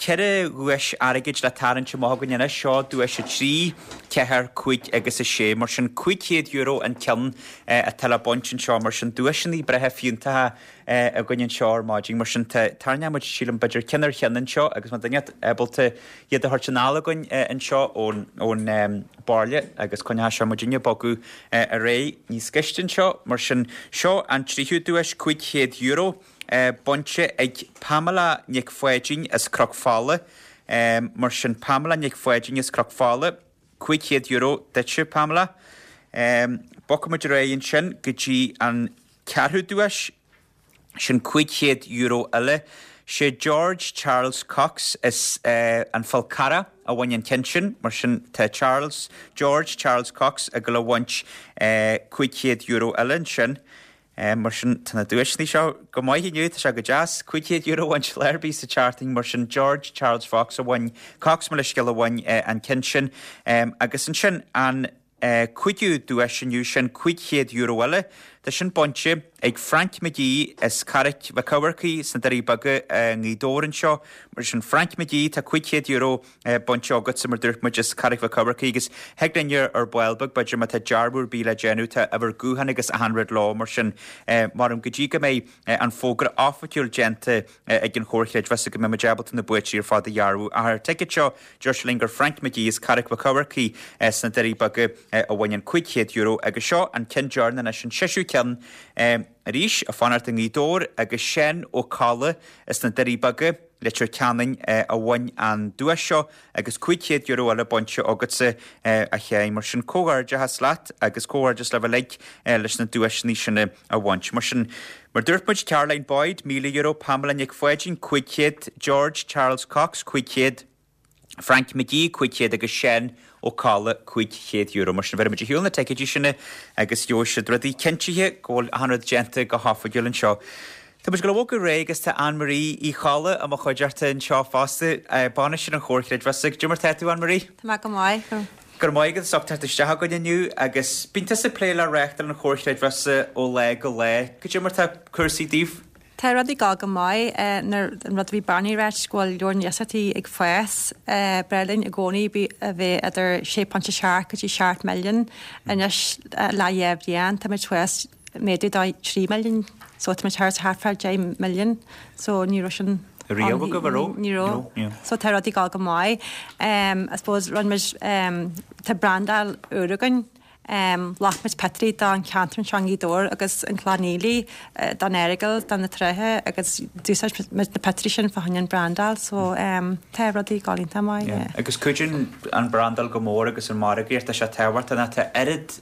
ceithre dhuais airgid le tarraingt amach againn anois. Seo duais a trí, ceathair, cúig agus a sé. Mar sin, cúig chéad euro an ceann atá le baint anseo. Mar sin, duaiseanna breátha fiúntacha againn anseo ar maidin. Mar sin, tarraingeoidh muid, sílim, b'fhéidir ceann ar cheann anseo agus má tá duine ábalta iad a thabhairt anall againn anseo ón baile agus coinneoidh seo muidinne ag bogadh ar aghaidh níos gaiste anseo. Mar sin, seo an tríú duais, cúig chéad euro. Bainte ag Pamela Nic Pháidín as Cnoc Fola. Mar sin, Pamela Nic Pháidín as Cnoc Fola, cúig chéad euro duitse, Pamela. Bogfaidh muid ar aghaidh ansin go dtí an ceathrú duais, sin cúig chéad euro eile. Sé George Charles Cox as an Fhál Carrach a bhain an ceann sin, mar sin tá Charles, George Charles Cox ag dul a bhaint cúig chéad euro eile ansin. Mar sin, tá na duaiseanna seo go maith inniu, tá sé go deas. Cúig chéad euro a bhaint lá ar bith sa tseachtain, mar sin George Charles Fox a bhain, Cox mo leithscéal a bhain an ceann sin. Agus ansin an cúigiú duais inniu, sin cúig chéad euro eile. Tá sin bainte ag Frank McGee as Carraig Mhic Eamharcaigh sna Doirí Beaga i nGaoth Dobhair anseo. Mar sin Frank McGee, tá cúig chéad euro bainte agatsa, mar dúirt muid, as Carraig Mhic Eamharcaigh agus thig linn ar ball beag, b'fhéidir má tá dearbhú ar bith le déanamh, tá uimhir gutháin agus achan rud leo, mar sin maram go dtí go mbeidh an fógra oifigiúil déanta ag an Chomhar Creidmheasa go mbeidh muid ábalta na buaiteoirí ar fad a dhearbhú. Ach ar an ticéad seo, deir sé linn gur Frank McGee as Carraig Mhic Eamharcaigh sna Doirí Beaga a bhain an cúig chéad euro agus seo an ceann deireanach anois, an seisiú ceann arís, ag fanacht i nGaoth Dobhair agus Seán Ó Colla as na Doirí Beaga, Leitir Ceanainn a bhain an duais seo agus cúig chéad euro eile bainte agatsa a Sheáin. Mar sin comhghairdeachas leat agus comhghairdeas libh uilig leis na duaiseanna sin a bhaint. Mar sin, mar dúirt muid, Caroline Boyd, míle euro, Pamela Nic Pháidín, cúig chéad, George Charles Cox, cúig chéad, Frank McGee, cúig chéad agus Seán Ó Colla, cúig chéad euro. Mar sin, bheir muid ar shiúl na ticéidí sin agus gheobhaidh siad rudaí cinntithe go bhfuil achan rud déanta go hoifigiúil anseo. Tá muid ag dul a bhogadh ar aghaidh agus tá Ann Marie Uí Cholla i mo chuideachta anseo fosta, bainisteoir an Chomhar Chreidmheasa. Goidé mar tá tú, Ann Marie? Tá mé go maith. Go raibh maith agat as ucht teacht isteach againn inniu agus bíonn tusa ag plé le reáchtáil an Chomhar Chreidmheasa ó lá go lá. Goidé mar tá cúrsaí daoibh? Tá rudaí ag gabháil go maith nuair an rud a bhí Barney ag ráit go bhfuil lear na iasachtaí ag fás. B'fhearr linn i gcónaí a bheith idir sé ponc a seacht go dtí seacht milliún anois le dhá bhliain táimid thuas méadú do trí milliún so táimid thart thart fá deich milliún so ní raibh sin Riamh agaibh, an raibh? Ní raibh. So tá rudaí ag gabháil go maith. I suppose rinne muid tá brandáil úr againn. Ghlac muid pictiúirí don cheantar anseo i nGaoth Dobhair agus an Chloich Cheann Fhaola, don Earagail, do na tráithe agus d'úsáid muid na pictiúirí sin fá choinne an brandáil so tá rudaí ag gabháil iontach maith, yeah. Agus cuidíonn an brandáil go mór agus an margaíocht, tá sé tábhachtach ná tá oiread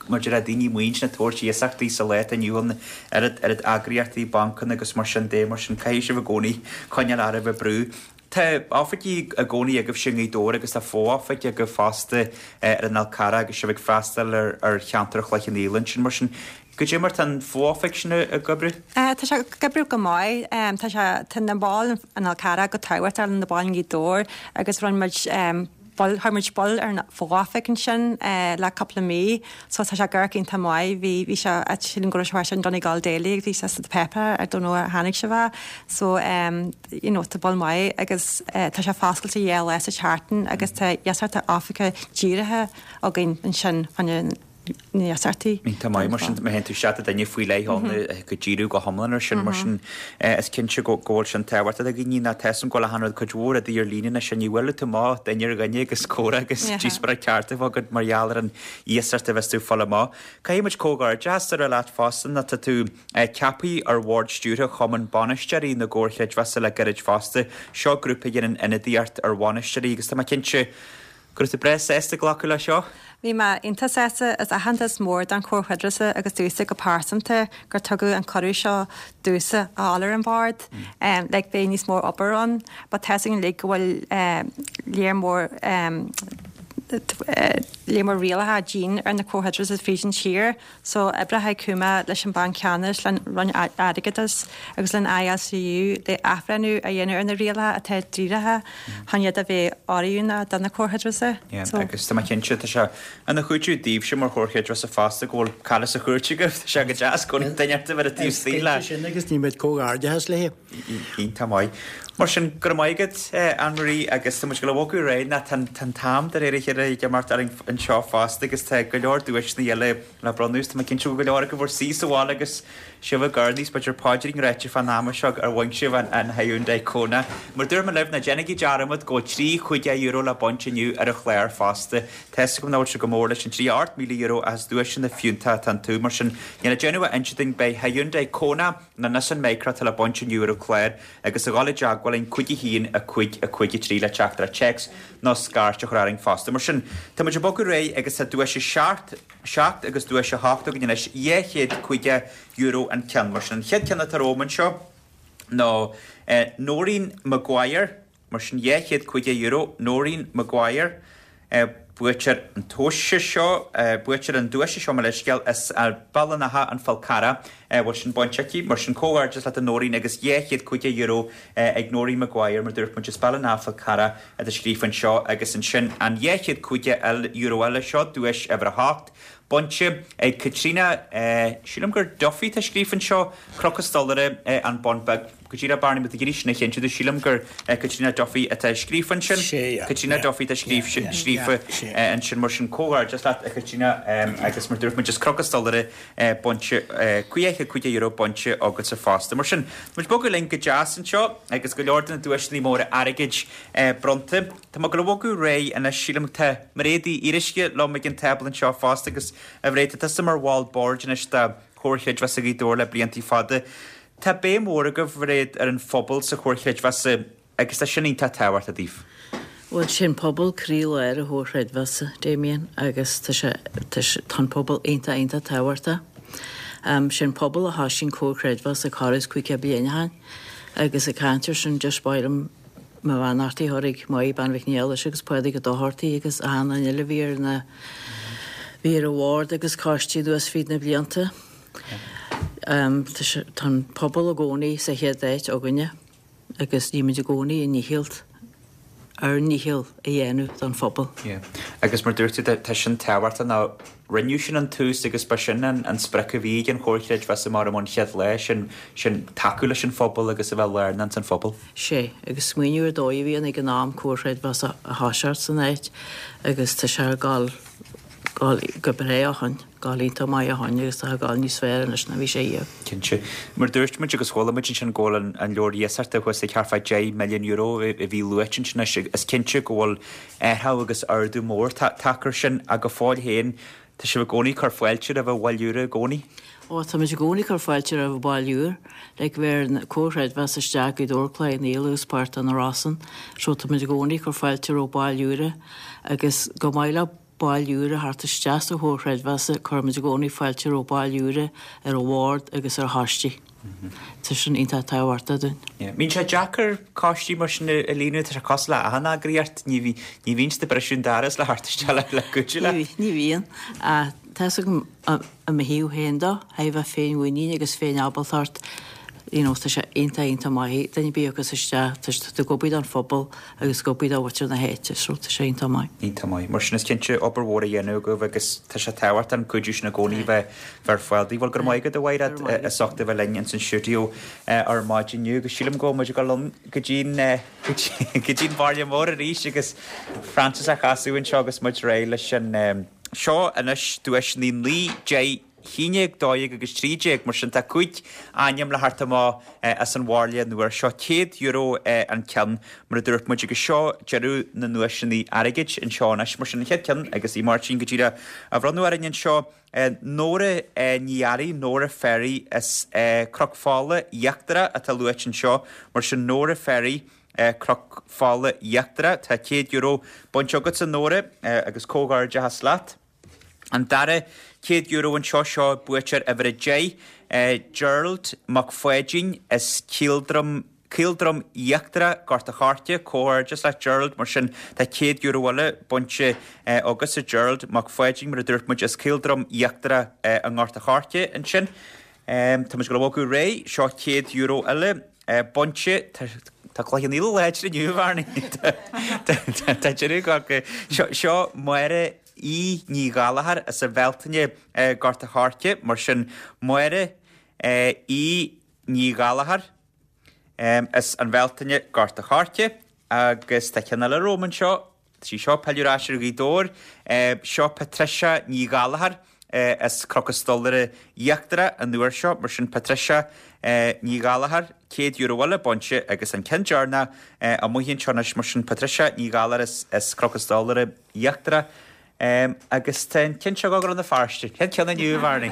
maidir le daoine maoin ag tabhairt iasachtaí sa lá atá inniu ann, oiread oiread eagraíochtaí, bancanna agus mar sin de, mar sin caithfidh sibh i gcónaí coinneáil oraibh ag brú. Tá oifigí i gcónaí agaibhse i nGaoth Dobhair agus tá fo-oifig agaibh fosta ar an Fhál Carrach agus sibh ag freastal ar ar cheantar Chloich Cheann Fhaola ansin. Mar sin, goidé mar tá an fo-oifig sin ag oibriú? Tá sé ag oibriú go maith. Tá sé, tá na baill an Fhál Carrach go tábhachtach le na baill i nGaoth Dobhair agus rinne muid baill, chuir muid baill ar an fho-oifig ansin le cúpla mí so tá sé ag amharc iontach maith. Bhí, bhí sé, sílim go raibh sé in Donegal Daily agus bhí sé sa páipéar, I don't know ar tháinig sibh é. So you know tá baill maith agus tá sé foscailte dhá lá sa tseachtain agus tá iasachtaí oifige dírithe againn ansin chun na hiasachtaí. Iontach maith mar sin, má théann tú isteach do duine faoi leith ann go díriú go hiomlán ar sin mar sin is cinnte go bhfuil sin tábhachtach do dhaoine ná tá a fhios agam go bhfuil achan rud cuid mhór rudaí ar líne anois ní bhfuil tú amach duine ar dhuine agus comhrá agus díospóireacht ceart a bheith agat mar gheall ar an iasacht a bheas tú ag fáil amach. Caithfidh muid comhghairdeas a rá leat fosta ná tá tú ceaptha ar bhord stiúrtha Chumann Bainisteoirí na gComhar Creidmheasa le gairid fosta. Seo grúpa a dhéanann ionadaíocht ar bhainisteoirí agus tá mé cinnte go raibh tú breá sásta glacadh leis seo. Bhí mé iontach sásta, is aitheantas mór don Chomhar Creidmheasa agus domhsa go pearsanta gur tugadh an cuireadh seo domhsa a fháil ar an bhord. Like beidh níos mó obair ann, but tá 'fhios againn uilig go bhfuil léar mór léar mór rialacha dian ar na Comhair Chreidmheasa fríd an tír. So oibreoidh Cuma leis an Banc Ceannais, le Roinn Airgeadais agus le I L C U le athbhreithniú a dhéanamh ar na rialacha atá dírithe chun iad a bheith oiriúnach do na Comhair Chreidmheasa. Yeah, agus tá mé cinnte tá sé ina chúiteamh daoibhse mar Chomhar Creidmheasa fosta go bhfuil cara sa chúirt agaibh, tá sé go deas go bhfuil duine ort a bheith ar an taobh istigh le. Sin agus ní muid comhghairdeachas léi. Iontach maith. Mar sin, go raibh maith agat, Anne-Marie, agus tá muid ag dul a bhogadh ar aghaidh ná tá an t-am de réir a chéile ag imeacht orainn anseo fosta agus tá go leor duaiseanna eile le bronnadh is tá mé cinnte go bhfuil go leor agaibh bhur suí sa bhaile agus sibh ag urnaí is b'fhéidir paidrín ráite fán ama seo ar bhain sibh an an Hyundai Kona. Mar dúirt mé libh, ná déanaigí dearmad go bhfuil trí chúig euro le baint inniu ar an chlár fosta. Tá 'fhios agam nach bhfuil sé go mór leis an trí ocht míle euro ach is duaiseanna fiúntacha atá iontu. Mar sin, níl le déanamh ach inse duinn beidh Hyundai Kona nó Nissan Micra atá le baint inniu ar an chlár agus a dhul i dteagmháil linn cúig a haon a cúig a cúig a trí le teachtaireacht téacs nó scairt a chur orainn fosta. Mar sin, tá muid ag bogadh ar aghaidh agus tá duais a seacht, seacht agus duais a hocht againn anois, dhá chéad caoga euro an ceann. Mar sin, an chéad ceann atá romham anseo ná Noreen Maguire, mar sin dhá chéad caoga euro, Noreen Maguire. Buaiteoir an tomhais seo, buaiteoir an duaise seo, mo leithscéal, as Béal an Átha, An Fál Carrach, a bhfuil sin bainte aici. Mar sin, comhghairdeas leat a Noreen agus dhá chéad caoga euro ag Noreen Maguire, mar dúirt muid, as Béal an Átha, Fál Carrach atá scríofa anseo agus ansin an dhá chéad caoga euro eile seo, duais uimhir a hocht, bainte ag Caitríona, sílim gur Duffy atá scríofa anseo, Cnoc an Stolaire, An Bun Beag. Go díreach Barney má tá tú ag iarraidh sin a chinntiú domh, sílim gur Caitríona Duffy atá scríofa ansin. Caitríona Duffy atá scríofa ansin mar sin comhghairdeas leat a Chaitríona agus mar dúirt muid is Cnoc an Stolaire bainte, dhá chéad caoga euro bainte agatsa fosta. Mar sin, tá muid ag bogadh linn go deas anseo agus go leor de na duaiseanna móra airgid bronnta. Tá mé ag dul a bhogadh ar aghaidh anois, sílim tá Mairéad Uí Fhíoruisce liom ag an tábla anseo fosta agus a Mhairéad, tá tusa mar bhall boird anois de Chomhar Chreidmheasa Ghaoth Dobhair le blianta fada. Tá béim mhór agaibh, a Mhairéad, ar an phobal sa Chomhar Chreidmheasa agus tá sin iontach tábhachtach daoibh. Bhuel, sin pobal croílár an Chomhar Chreidmheasa, Damien, agus tá sé, tá sé, tá an pobal iontach, iontach tábhachtach. Sin pobal a thoisigh an Comhar Chreidmheasa corradh is caoga bliain ó shin agus ag caint air sin just ba mhaith liom mo bheannachtaí a chur ag Máire Bean Mhic Niallais agus Pádraig Ó Dochartaigh agus achan duine eile a bhí ar na, bhí ar an bhord agus coistí anuas fríd na blianta. Tá an pobal i gcónaí sa chéad áit againne agus nímid i gcónaí i ndícheall ár ndícheall a dhéanamh don phobal. Yeah. Agus mar dúirt tú tá sin tábhachtach ná rinneadh sin an tús agus ba sin an, an sprioc a bhí ag an Chomhar Creidmheasa mar an chéad lá sin sin tacú leis an phobal agus a bheith lárnach san phobal. Sé, agus smaoineamh ar dóigh a bhí ann ag an am Comhar Creidmheasa a thoiseacht san áit agus tá sé ag gabháil gabháil go breá ó shin, gabháil iontach maith ó shin agus tá ag gabháil níos fearr anois ná bhí sé riamh. Cinnte. Mar dúirt muid agus chuala muid ansin go bhfuil an, an leabhar iasachta thuas ag thart fá deich milliún euro a bhí luaite ansin anois is cinnte go bhfuil athrú agus ardú mór tagtha air sin ach go fóill féin tá sibh i gcónaí ag cur fáilte roimh bhaill úra i gcónaí. Ó tá muid i gcónaí ag cur fáilte roimh bhaill úr, like bheir an Comhar Creidmheasa isteach Gaoth Dobhair Cloich Cheann Fhaola agus páirt de na Rosann, so tá muid i gcónaí ag cur fáilte roimh bhaill úra agus go maith le baill úra a theacht isteach sa Chomhar Creidmheasa cuirimid i gcónaí fáilte roimh baill úra ar an bhord agus ar choistí. Tá sin iontach tábhachtach dúinn. Bíonn sé deacair coistí mar sin a líonadh, tá sé cosúil le achan eagraíocht, ní ní bhíonn siad ag briseadh an doras le theacht isteach le le cuidiú leat. Ní bhíonn. Tá 'fhios agam i mo thaobh féin dó, thaobh a féinmhuinín agus féin-ábaltacht, you know, tá sé iontach iontach maith duine ar bith a thiocfas isteach, tá sé ag obair don phobal agus ag obair do mhuintir na háite, so tá sé iontach maith. Iontach maith. Mar sin is cinnte obair mhór a dhéanamh agaibh agus tá sé tábhachtach an cuidiú sin i gcónaí bheith bheith ar fáil daoibh. Bhuel go raibh maith agat a Mhairéad as ucht a bheith linn ins an stiúideo ar maidin inniu agus sílim go bhfuil muid ag dul ann go dtí'n go dtí'n bhaile mór arís agus Francis a chasadh anseo agus muid réidh leis an seo anois duaiseanna naoi deich haon déag, dó dhéag agus trí déag, mar sin tá cúig ainm le theacht amach as an bhairille an uair seo. Céad euro an ceann, mar a dúirt muid, agus seo deireadh na nduaiseanna airgid anseo anois. Mar sin an chéad ceann agus í Máirtín go díreach á bhronnadh orainn anseo, Nóra Ní Fhearraigh, Nóra Ferry as Cnoc Fola Íochtarach atá luaite anseo. Mar sin Nóra Ferry. Cnoc Fola Íochtarach. Tá céad euro bainte agatsa Nóra agus comhghairdeachas leat. An dara céad euro anseo seo buaiteoir uimhir a deich, Gerald Mac Pháidín as Caoldroim Caoldroim Íochtarach, Gort a' Choirce, comhghairdeas leat Gerald, mar sin tá céad euro eile bainte agatsa Gerald Mac Pháidín mar a dúirt muid as Caoldroim Íochtarach i nGort a' Choirce ansin. Tá muid ag dul a bhogadh ar aghaidh, seo céad euro eile bainte, tá Cloich Cheann Fhaola láidir inniu, a Bharney. Tá deireadh go seo Máire E Ní Ghallachair as an Bhealtaine Gort a' Choirce, mar sin Máire E Ní Ghallachair as an Bhealtaine Gort a' Choirce agus tá ceann eile romham anseo, tá sí seo ag pilleadh ar ais ar Ghaoth Dobhair, seo Patricia Ní Ghallachair as Cnoc an Stolaire Íochtarach an uair seo, mar sin Patricia Ní Ghallachair, céad euro eile bainte agus an ceann deireanach amuigh anseo anois, mar sin Patricia Ní Ghallachair as Cnoc an Stolaire Íochtarach. Um, agus tá an ceann seo go Rann na Feirste, cén ceann inniu, Bharney.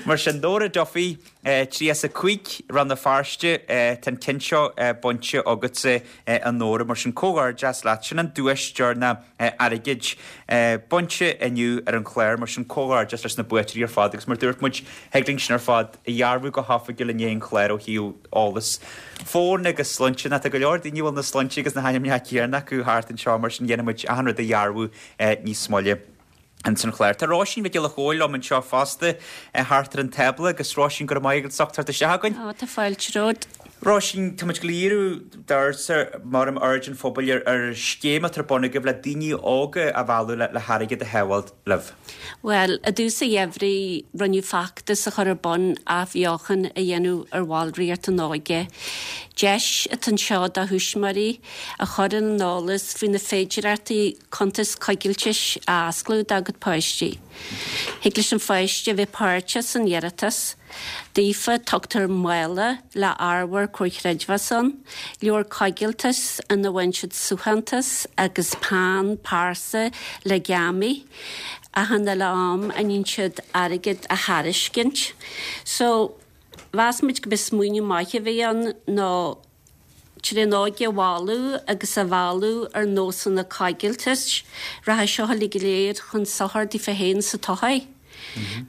Mar sin Nóra Duffy, eh, trí as a cúig Rann na Feirste, eh, tá an ceann seo eh, bainte agatsa eh, a Nóra, mar sin comhghairdeas leat, sin an duais deireanach eh, airgid eh, bainte inniu ar an chlár, mar sin comhghairdeas leis na buaiteoirí ar fad, agus mar dúirt muid thig linn sin ar fad a dhearbhú go hoifigiúil i ndiaidh an chláir ó thaobh eolas fóin agus sloinnte, ná tá go leor daoine a bhfuil na sloinnte agus na hainmneacha céanna acu thart anseo, mar sin dhéanfaidh muid achan rud a dhearbhú eh, níos moille. Ins an chlár. Tá Róisín Mhic Giolla Chóill liom anseo fosta thart ar an tábla agus Róisín go raibh maith agat as ucht teacht isteach againn. Ó, tá fáilte romhat. Róisín, tá muid ag iarraidh d'aird mar am aird an phobail ar, ar scéim atá ar bun agaibh le daoine óga a mhealladh le, le hairgead a shábháil libh. Bhuel, i dtús an gheimhridh rinneadh feachtas a chur ar bun athbheochan a dhéanamh ar bhallraíocht an óige. Deis atá anseo do thuismitheoirí a chur ar an eolas faoi na féidearthachtaí cuntas coigiltis a osclú dá gcuid páistí. Thig leis an pháiste a bheith páirteach san iarratas. Daofa tugtar mála le ábhar Comhar Creidmheasa ann, leabhar coigiltis ina bhfaigheann siad suaitheantas agus peann pearsa le geamaí, achan uile am a níonn siad airgead a thairiscint. So, mheas muid go b'é smaoineamh maith a bhí ann nó trí an óige a mhealladh agus a mhealladh ar nósanna coigiltis, rachaidh seo uilig go léir chun sochair daofa féin sa todhchaí.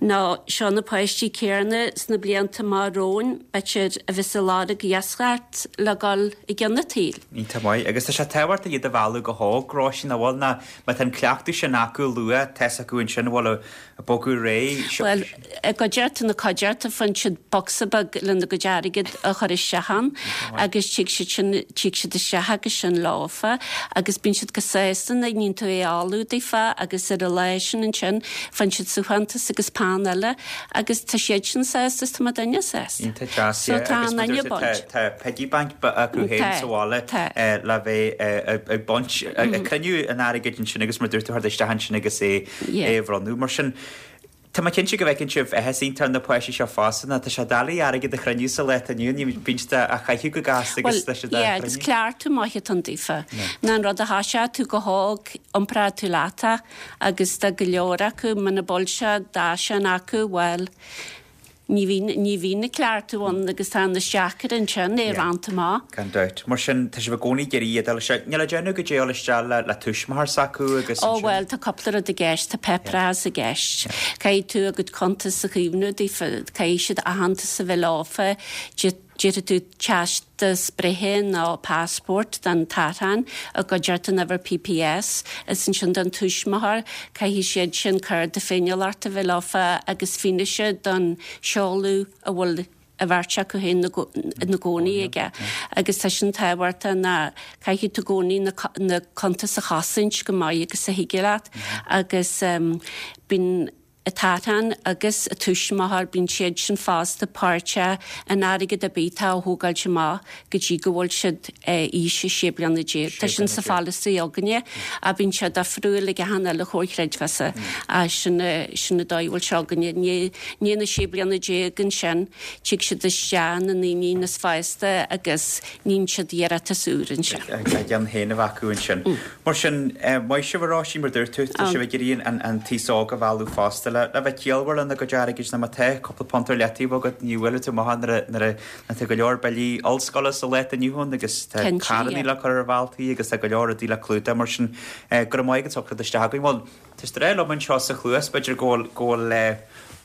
Nó seo na páistí céanna sna blianta amach romhainn, b'fhéidir a bheas ag lorg iascaireacht le dhul i gcionn an tsaoil. Iontach maith. Agus tá sé tábhachtach iad a mhealladh go hóg, Róisín, an bhfuil, ná má tá an cleachtadh sin acu luath, tá fhios acu ansin an bhfuil ag bogadh réidh. Bhuel, i gcuideachta na cuideachta faigheann siad bocsa beag lena gcuid airgid a chur isteach ann agus tig siad sin, tig siad isteach agus sin leofa agus bíonn siad go sásta nuair a níonn tú é a fholú daofa agus ar an lá sin ansin faigheann siad suaitheantas agus peann eile agus tá siad sin sásta is tá muidinne sásta. Iontach deas, So yeah. tá Agus an mar aine dúirt tú, tá, baint. tá piggy bank acu féin Tá, sa bhaile tá. eh, le bheith eh, ag baint, ag ag cruinniú an airgid ansin agus mar dúirt tú, chur isteach ansin agus é Yeah. é a bhronnadh. Mar sin, Tá mé cinnte go bhfeiceann sibh áthas iontach ar na páistí seo fosta ná tá sé doiligh airgead a chruinniú sa lá atá inniu ann, ní bíonn siad á chaitheamh go gasta agus tá siad á Well, yeah, agus chruinniú. cleachtadh maith atá ann daofa. Ná an rud a thoiseoidh tú go hóg, iompróidh tú leat é agus tá go leor acu muna bhfuil sé d'fhaisean acu, bhuel, ní bhíonn ní bhíonn na cleachtadh ann agus tá an deacair ansin é Yeah. roinnt amach. Gan dabht. Mar sin, tá sibh i gcónaí ag iarraidh iad a fháil isteach. Níl a déanamh go dté isteach le, le tuismitheoir s'acu agus Ó ansin- bhuel, tá cúpla rud i gceist, tá paperás i gceist. Caithfidh tú a gcuid cuntas a chaomhnú daofa, caithfidh siad aitheantas a bheith leofa, déarfaidh tú teastas breithe nó passport don t-artán a gcuid an uimhir PPS, is ansin don tuismitheoir, caithfidh siad sin cárta féiniúlachta a bheith leofa agus fianaise don seoladh a bhfuil a bheirt acu féin ina gcónaí aige. Agus tá sin tábhachtach ná caithfidh tú i gcónaí na co- na cuntas a chosaint go maith agus a thig leat agus um, bíonn an t-artán agus a tuismitheoir bíonn siad sin fosta páirteach in airgead ar bith atá á thógáilt amach go dtí go bhfuil siad eh, aois a sé bliana déag. Tá sin sa pholasaí againne a bíonn sé difriúil ag achan uile chomhar creidmheasa a sin eh, sin an dóigh a bhfuil sé againne. Ní ní na sé bliana déag ansin tig siad isteach na ndaoine níos fásta agus níonn siad iarratas úr ansin. a gceann féin a bheith acu ansin. Mar sin, eh, maith sibh a Róisín mar dúirt tú, tá sibh ag iarraidh an, an t-aos óg a mhealladh fosta le, le bheith ciallmhar lena gcuid airgid ná má tá cúpla punt ar leataobh agat ní bhfuil tú maith nuair a- nuair a tá go leor billí ollscoile sa lá atá inniu ann agus tá Cinnte, carrannaí yeah. le cur ar bhealtaí agus tá go leor rudaí le clúdach mar sin eh, go raibh maith agat as ucht isteach againn. Bhuel, tá sé liom anseo sa chluas b'fhéidir go bhfuil- go bhfuil eh,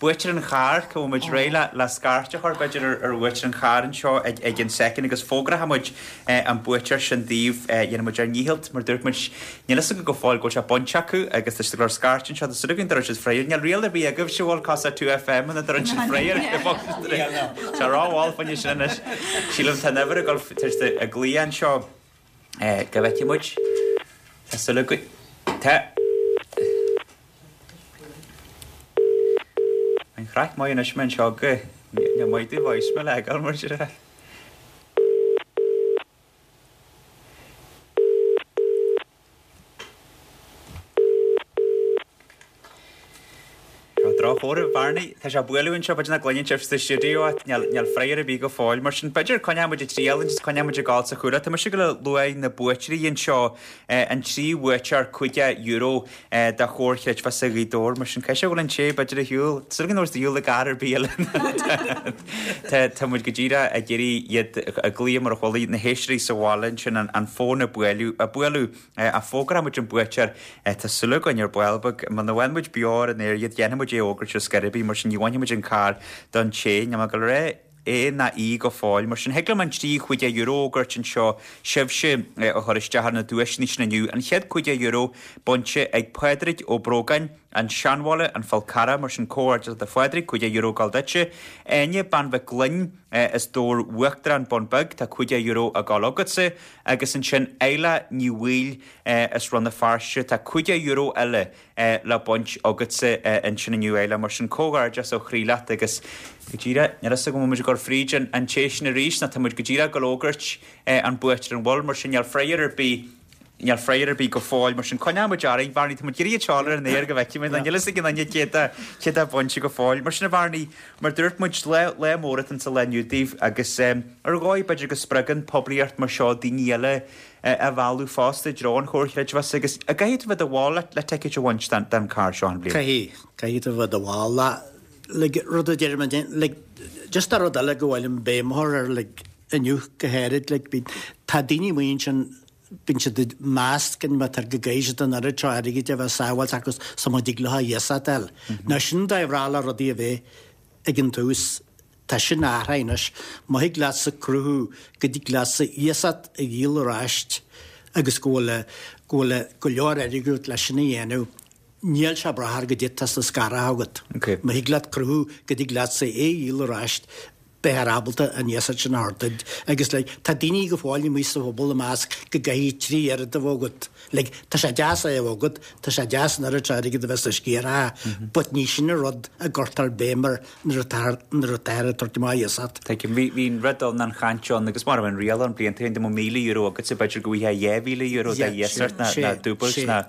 buaiteoir an chairr go bhfuil muid réidh le le scairt a chur b'fhéidir ar ar bhuaiteoir an chairr anseo ag ag an soicind agus fógróidh muid eh, an buaiteoir sin daoibh eh, dhéanfaidh muid ár ndícheall mar dúirt muid níl fhios againn go fóill go bhfuil sé bainte acu agus tá siad ag lorg scairt anseo tá súil againn go raibh siad freagra níl riail ar bith agaibh se bhfuil casa two FM ina dturann siad freagra Tá ráháil faoine sin anois sílim tá never ag dul tar a glaoch anseo eh, go bhfeicfidh muid Tá súil againn Tá An chraic maith anois mé anseo go ní maith tú voicemail a fháil mar sin. Tá drochchomhartha Barney, tá sé ag bualadh anseo b'fhéidir nach gcluineann sibh sa stiúideo ach níl níl freagra ar bith go fóill mar sin b'fhéidir coinneoidh muid ag triail agus coinneoidh muid ag gabháil sa chúlra. Tá mise ag gabháil a lua na buaiteoirí anseo eh, an trí bhuaiteoir caoga euro eh, de Chomhar Chreidmheasa Ghaoth Dobhair mar sin caithfidh sé go bhfuil an té b'fhéidir ar shiúl. Súil go ndúirt shiúl i gcarr ar bith eile. Tá tá muid go díreach ag iarraidh iad a ghlaoch mar a chuala na héisteoirí sa bhaile ansin an, an fón ag bualadh a bualadh eh, a fógróidh muid an buaiteoir eh, tá súil againn ar ball beag muna bhfuil muid beo ar an aer iad dhéanfaidh muid é a fhógairt ar scor ar bith mar sin ní bhainfidh muid an carr don té níl mé ag gabháil a rá é ná í go fóill mar sin thig liom an trí caoga euro a fhógairt anseo sibhse eh, a chur isteach ar na duaiseanna sin inniu an chéad caoga euro bainte ag Pádraig Ó Brógáin an Seanbhaile an Fál Carrach mar sin comhghairdeas do Phádraig caoga euro ag gabháil duitse Áine Bean Mhic Gloinn eh, as Dobhar Uachtarán Bun Beag tá caoga euro ag gabháil agatsa agus ansin Eila Ní Bhaoill eh, as Rann na Feirste tá caoga euro eile eh, le baint agatsa eh, ansin inniu eile mar sin comhghairdeas ó chroí leat agus go díreach níl fhios agam an bhfuil muid ag dul fríd an, an té sin arís ná tá muid go díreach ag gabháil a fhógairt eh, an buaiteoir an bhfuil mar sin níl freagra ar bith níl freagra ar bith go fóill mar sin coinneoidh muid orainn Bharney tá muid ag iarraidh teáil ar an aer go bhfeicfidh muid níl fhios ag an duine cé atá cé atá bainte go fóill mar sin a Bharney mar dúirt muid lá lá mór atá sa lá inniu daoibh agus um, ar dhóigh b'fhéidir go spreagann poiblíocht mar seo daoine eile eh, a mhealladh fosta i dtreo an Chomhar Chreidmheasa agus an gcaithfidh tú bheith i do bhall le le ticéad a bhaint den, den carr seo an bhliain. Caithfidh caithfidh tú bheith i do bhall le like, rud a deir like, just a rud eile go bhfuil an béim ar like, inniu go háirid like, bhí tá daoine muin sin bíonn siad ag meas go mb'fhéidir go gcaithfidh siad an oiread seo airgid a bheith sábháilte acu sula dtig leo iasacht a fháil. Now sin dóigh bhreá le rudaí a bheith ag an tús. Tá sin athraithe anois. Má thig leatsa cruthú go dtig leatsa iasacht a dhíol ar ais agus go bhfuil go bhfuil go leor airgid agat leis sin a dhéanamh, níl sé ag brath ar goidé atá sna scartha agat. Má thig leat cruthú go dtig leatsa é a dhíol ar ais, beifear ábalta an iasacht sin a thabhairt duit. Agus like, tá daoine go fóill amuigh sa phobal ag meas go gcaithfidh trí oiread a bheith agat. Like, tá sé deas é a bheith agat, tá sé deas an oiread seo airgid a bheith sna sciartha, but ní sin an rud a gcuirtear béim air nuair atá nuair atáthar ag tabhairt amach iasacht. Tuigim, bhí bhí an rud ann an chaint ann agus mar a bhí an riail ann blianta ó shin dá mbeadh míle euro agatsa b'fhéidir go bhfaighfeá dhá mhíle euro de iasacht ná ná dúbailt ná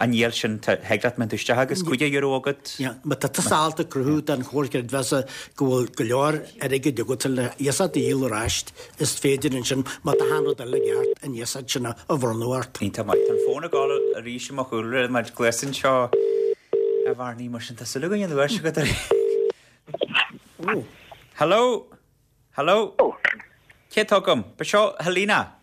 an níl sin tá thig leat mbeidh tú isteach agus cúig euro agat. Yeah, má tá tusa ábalta cruthú don chomhar creidmheasa go bhfuil go leor airgid agat le iasacht a dhíol ar ais, is féidir ansin má tá achan rud eile ceart an iasacht sin a bhronnadh ort. Iontach maith. Tá an fón ag gabháil arís i mo chúlra mar gléasann seo a Bharnaí mar sin tá súil againn an uair seo agat ar Hello? Hello? Cé atá agam? Ba seo Helena.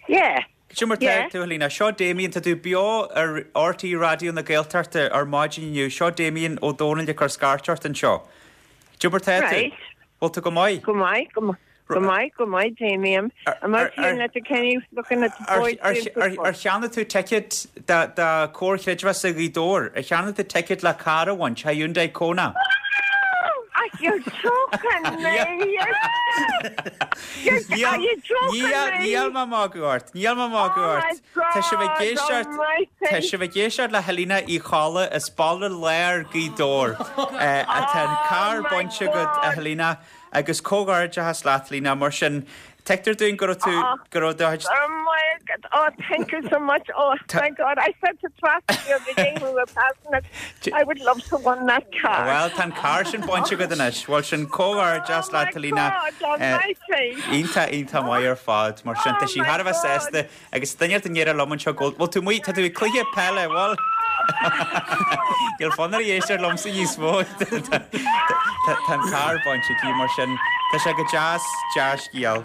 Yeah. Cad é mar tá tú Helena, seo Damien tá tú beo ar RTÉ Raidió na Gaeltachta ar maidin inniu, seo Damien Ó Dónaill ag cur scairt ort anseo. Cad é mar tá tú? Right. Bhfuil tú go maith? Go maith, go maith. Go maith, go maith, Damien. I'm out here in Letterkenny looking at the boys Ar playing football. ar cheannaigh tú ticket do Comhar Chreidmheasa Ghaoth Dobhair, ar cheannaigh tú ticket le carr a bhaint, Hyundai Kona. Ah, you're joking me. You're, you're, are you joking me? Níl mé ag magadh ort, níl mé ag magadh ort. Tá sibh ag éisteacht Tá sibh ag éisteacht le Helena Uí Cholla as Baile Láir Gaoth Dobhair. Atá an carr bainte agat a Helena agus comhghairdeachas leat Helena mar sin tuigtear dúinn go raibh tú go raibh do Oh my God. Oh, thank you so much. Oh, my God. I said to Tracy the other day when we were passing it, I would love to win that car. Well tá an carr sin bainte agat anois, Bhfuil sin comhghairdeachas leat Helena. God almighty. Iontach iontach maith ar fad mar sin tá sí thar a bheith sásta agus duine den ndéire liom anseo go bhfuil tú muid tá tú ag cluiche peile bhfuil Níl fonn uirthi éisteacht liomsa níos mó Tá an carr bainte aici mar sin tá sé go deas dea-scéal.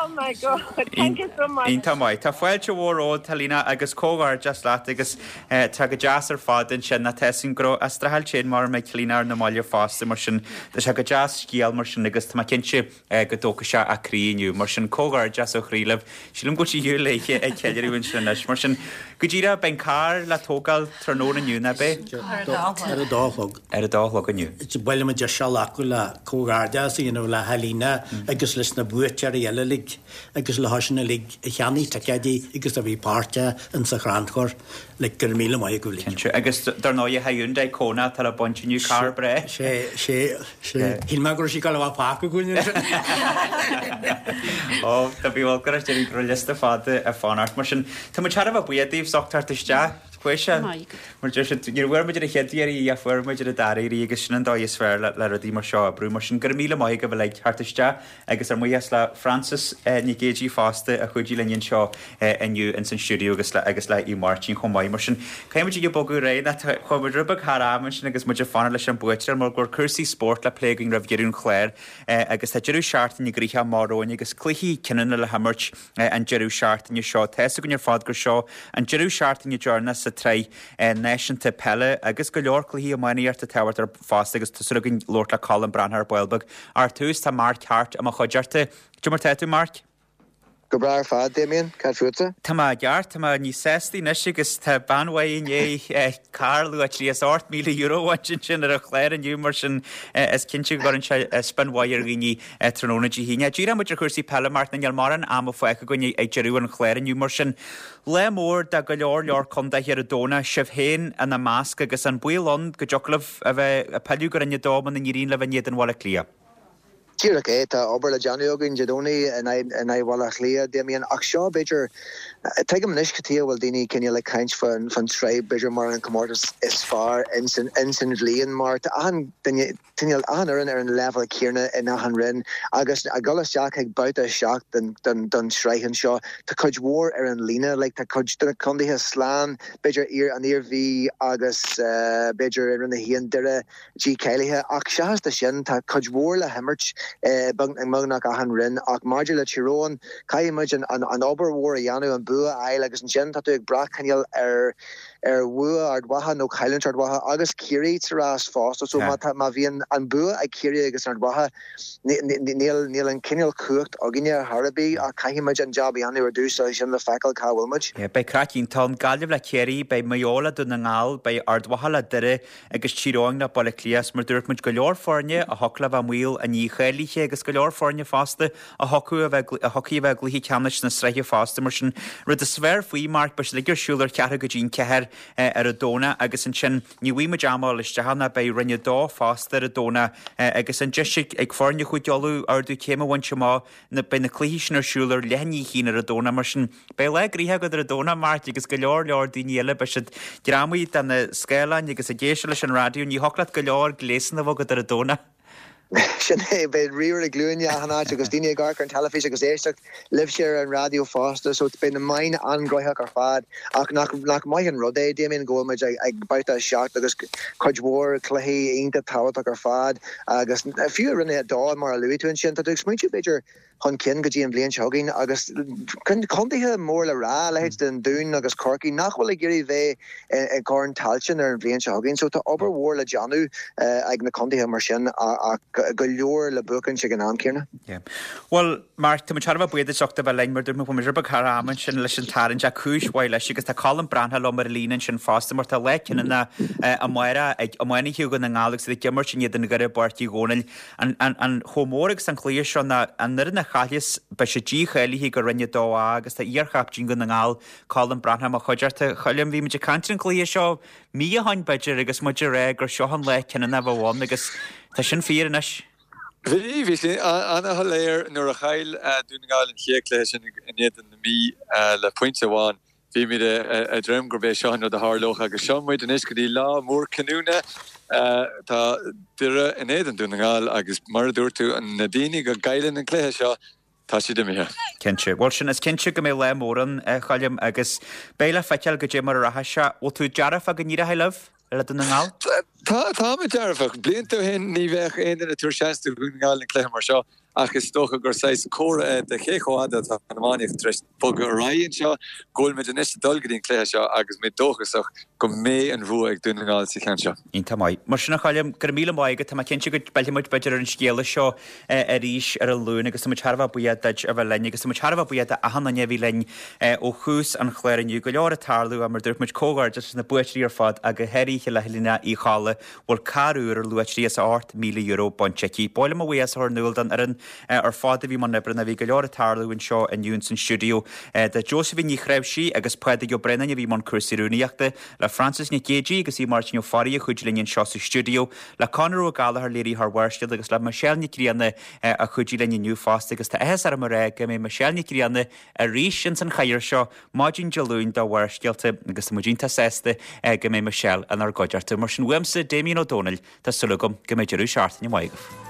Oh my God. Thank you so much. Iontach maith. Tá fáilte mhór romhat Helena agus comhghairdeas leat agus eh, tá go deas ar fad ansin na tesin gro a straáil sin mar mé Helena ar na maille fosta mar sin Tá sé go deas scéal mar sin agus tá mé cinnte eh, go dtógfaidh sé a croí inniu mar sin comhghairdeas ó chroí libh Sílim go siú léithe ag ceiliúradh ansin anois mar sin go díreach beidh an carr le tógáil tráthnóna inniu nach mbeidh? Ar a dó a chlog. Ar a dó a chlog inniu. Bhfuil mu se acu le comhghairdeas a dhéanamh le Helena agus leis na buaiteoirí eile uilig agus le sin uilig a cheannaigh ticéidí agus a bhí páirteach in sa chrannchur le gur míle maith go Cinnte agus dar ndóigh Hyundai Kona tá le baint inniu carr breá. sé sé sé Shíl mé go raibh sí go bhfuil fágtha againn. Ó Tá bí go raibh go liosta fada ag fanacht mar sin Tá mu tear a buíoch daoibh as ucht teacht isteach chuir se mar deir siad ní bhfuair muid ar a chéad iarraidh a fuair muid ar an dara iarraidh agus sin an dóigh is fearr le le rudaí mar seo a brú mar sin gur míle maith agaibh uilig teacht isteach agus ár mbuíochas le Francis eh, Nic Géadaigh fosta a chuidigh linn anseo eh, inniu in san stiúideo agus le agus le í Máirtín chomh maith mar sin Caithfimid ag bogadh réidh na chuaigh muid rud beag thar am sin agus muid ag fanacht leis an buaiteoir mar go cúrsaí spóirt le plé againn roimh dheireadh an chláir eh, agus tá deireadh seachtaine gnoitheach amach romhainn agus cluichí cinniúna le himirt eh, an deireadh seachtaine seo. Tá a fhios againn ar fad gur seo an deireadh seachtaine deireanach sa tsraith eh, náisiúnta peile agus go leor cluichí iománaíochta tábhachtach fosta agus tá súil againn labhairt le Colm Breathnach ar ball beag. Ar tús tá Mark Hart i mo chuideachta. Cad é mar tá tú Mark? Go breá ar fad Damien, cad fútsa? Tá mé ceart tá mé níos sásta anois agus tá bean mhaith inné carr luach trí is ocht míle euro sin ar an chlár inniu mar sin is cinnte go gcuireann sé spion mhaith ar dhaoine tráthnóna Dé hAoine. Díreoidh muid ar chúrsaí peile mar níl mórán ama fágtha againn ag deireadh an chláir inniu mar sin. Le mór de go leor leor contaetha ar an Domhnach sibh féin ina measc agus an baol ann go dtiocfadh libh a bheith ag pilleadh go Roinn a dó muna n-éiríonn libh in éadan Bhaile Átha Cliath. Díreach é tá obair le déanamh againn Dé Domhnaigh in aghaidh Bhaile Átha Cliath Damien ach seo b'fhéidir tuigim anois cad chuige a bhfuil daoine cineál ag caint fan fan tsraith b'fhéidir mar an comórtas is fearr in san in san bhliain mar tá achan duine cineál achan fhoireann ar an level céanna in achan roinn agus ag dul isteach ag babhta seacht den den den tsraith anseo tá cuid mhór ar an líne like tá cuid de na contaetha slán b'fhéidir iar an Iarmhí agus uh, b'fhéidir ar na haon Doire G cáilithe ach seachas de sin tá cuid mhór le himirt i mbeagnach achan roinn ach maidir le Tír Eoghain caithfidh muid an, an, an obair mhór a dhéanamh an bua a fháil agus ansin tá tú ag brath cineál ar ar bhua Ard Mhacha nó cailliúint Ard Mhacha agus Ciarraí sa rás fosta so má má bhíonn an bua ag Ciarraí agus Ard Mhacha níl níl an cineál cumhacht againne ar bith ach caithfidh muid an job a dhéanamh ar dtús sin le feiceáil cá bhfuil muid. Beidh craic iontach ann Gaillimh le Ciarraí, beidh Maigh Eo le Dún na nGall, beidh Ard Mhacha le Doire agus Tír Eoghain le Baile Átha Cliath mar dúirt muid go leor foirne a thiocfadh le bheith i mbaol an dícháilithe agus go leor foirne fosta a thiocfadh a bheith a thiocfaidh a bheith i gcluiche ceannais na sraithe fosta mar sin rud is fearr faoi Mark beidh siad ag ar siúl ar cheathrú go dtí an ceathair ar an Domhnach agus ansin ní bhfaighidh muid am a isteach ná beidh Roinn a dó fosta ar an Domhnach agus an deis ag foirne Chúige Uladh ardú céime a bhaint amach na beidh na cluichí sin ar siúl ar leath i ndiaidh a haon ar an Domhnach mar sin beidh lá gnoitheach agat ar an Domhnach Mark agus go leor leor daoine eile beidh siad greamaithe de na scáileáin agus ag éisteacht leis an raidió ní thiocfadh leat go leor gléasanna a bheith agat ar an Domhnach. Sin é beidh ríomhaire glúine achan áit agus daoine ag amharc ar an teilifís agus éisteacht libhse ar an raidió fosta so beidh na meáin an-ghnóthach ar fad ach nach nach maith an rud é Damien go bhfuil muid ag, ag babhta a seacht agus cuid mhór cluichí iontach tábhachtach ar fad agus fiú Roinn a dó mar a luaigh tú ansin tá tú ag smaointiú b'fhéidir chun cinn go dtí an bhliain seo chugainn agus contaetha mór le rá leithéid den Dún agus Corcaigh nach bhfuil ag iarraidh bheith i gCorn Tailteann ar an bhliain seo chugainn so tá obair mhór le déanamh ag na contaetha mar sin ach go leor le buachaint ag an am céanna. Well Mark tá thar a bheith buíoch as ucht a bheith linn mar dúirt muid rud beag thar am ansin leis an tarraingt ach cúis mhaith leis agus tá Colm Breathnach liom ar líne ansin fosta mar tá lá cinniúna amárach ag iománaithe Dhún na nGall agus ag imirt in éadan Dhoire i bPáirc Uí Dhónaill an, an, an chomh mór agus an cluiche seo ná an fhoireann a chailleas beidh sé dícháilithe go Roinn a dó A agus tá iarchaiptín Dhún na nGall Colm Breathnach i mo chuideachta. A Choilm bhí muid ag caint ar an cluiche seo mí ó shin b'fhéidir agus muid ag rá gur seo an lá cinniúna a bheadh ann agus tá sin fíor anois. Bhí bhí sé an-shoiléir nuair a chaill Dún na nGall an chéad chluiche sin in éadan na Mí le pointe amháin. Bhí muid ag dréim gurb é seo an rud a tharlódh agus seo muid anois go dtí lá mór cinniúna tá Doire in éadan Dún na nGall agus mar a dúirt tú na daoine go gcailleann an cluiche seo tá siad imithe. Cinnte. Bhuel sin is cinnte go mbeidh lá mór ann a Choilm agus beidh le feiceáil goidé mar a rachaidh sé. Bhfuil tú dearfach go n-éireoidh libh le Dún na nGall? Tá tá mé dearfach. Blianta ó shin ní bheadh aon duine ag tabhairt seans do Dhún na nGall an cluiche mar seo ach is dócha gur saghas comhartha é de cé chomh fada atá an iománaíocht tar éis bogadh ar aghaidh anseo, go bhfuil muid anois ag dul go dtí an cluiche seo agus muid dóchasach go mbeidh an bhua ag Dún na nGall sa cheann seo. Iontach maith. Mar sin a Choilm, go raibh míle maith agat, tá mé cinnte go bpillfidh muid b'fhéidir ar an scéala seo arís ar an Luan agus tá muid thar a bheith buíoch duit a bheith linn agus tá muid thar a bheith buíoch d'achan duine a bhí linn ó thús an chláir inniu. Go leor ag tarlú mar dúirt muid comhghairdeas leis na buaiteoirí ar fad ach go háirithe le Helena Uí Cholla bhfuil carr úr ar luach trí is a ocht míle euro bainte aici. Ba mhaith liom mo bhuíochas a chur in iúl don fhoireann ar fad a bhí i mbun oibre bhí go leor ag tarlú anseo inniu san stiúideo de Josephine Ní Chreimhsí agus Pádraig Ó Braonáin a bhí i mbun cúrsaí rúnaíochta le Francis Nic Géadaigh agus í Máirtín Ó Fearraigh a chuidigh linn anseo sa stiúideo le Conor Ó Gallchóir léiritheoir Bharrscéalta agus le Michelle Nic Grianna a chuidigh linn inniu fosta agus tá áthas orm a rá go mbeidh Michelle Nic Grianna arís ins an chathaoir seo maidin Dé Luain do Bharrscéalta agus tá muid iontach sásta go mbeidh Michelle inár gcuideachta mar sin uaimse Damien Ó Dónaill tá súil agam go mbeidh deireadh seachtaine maith agaibh.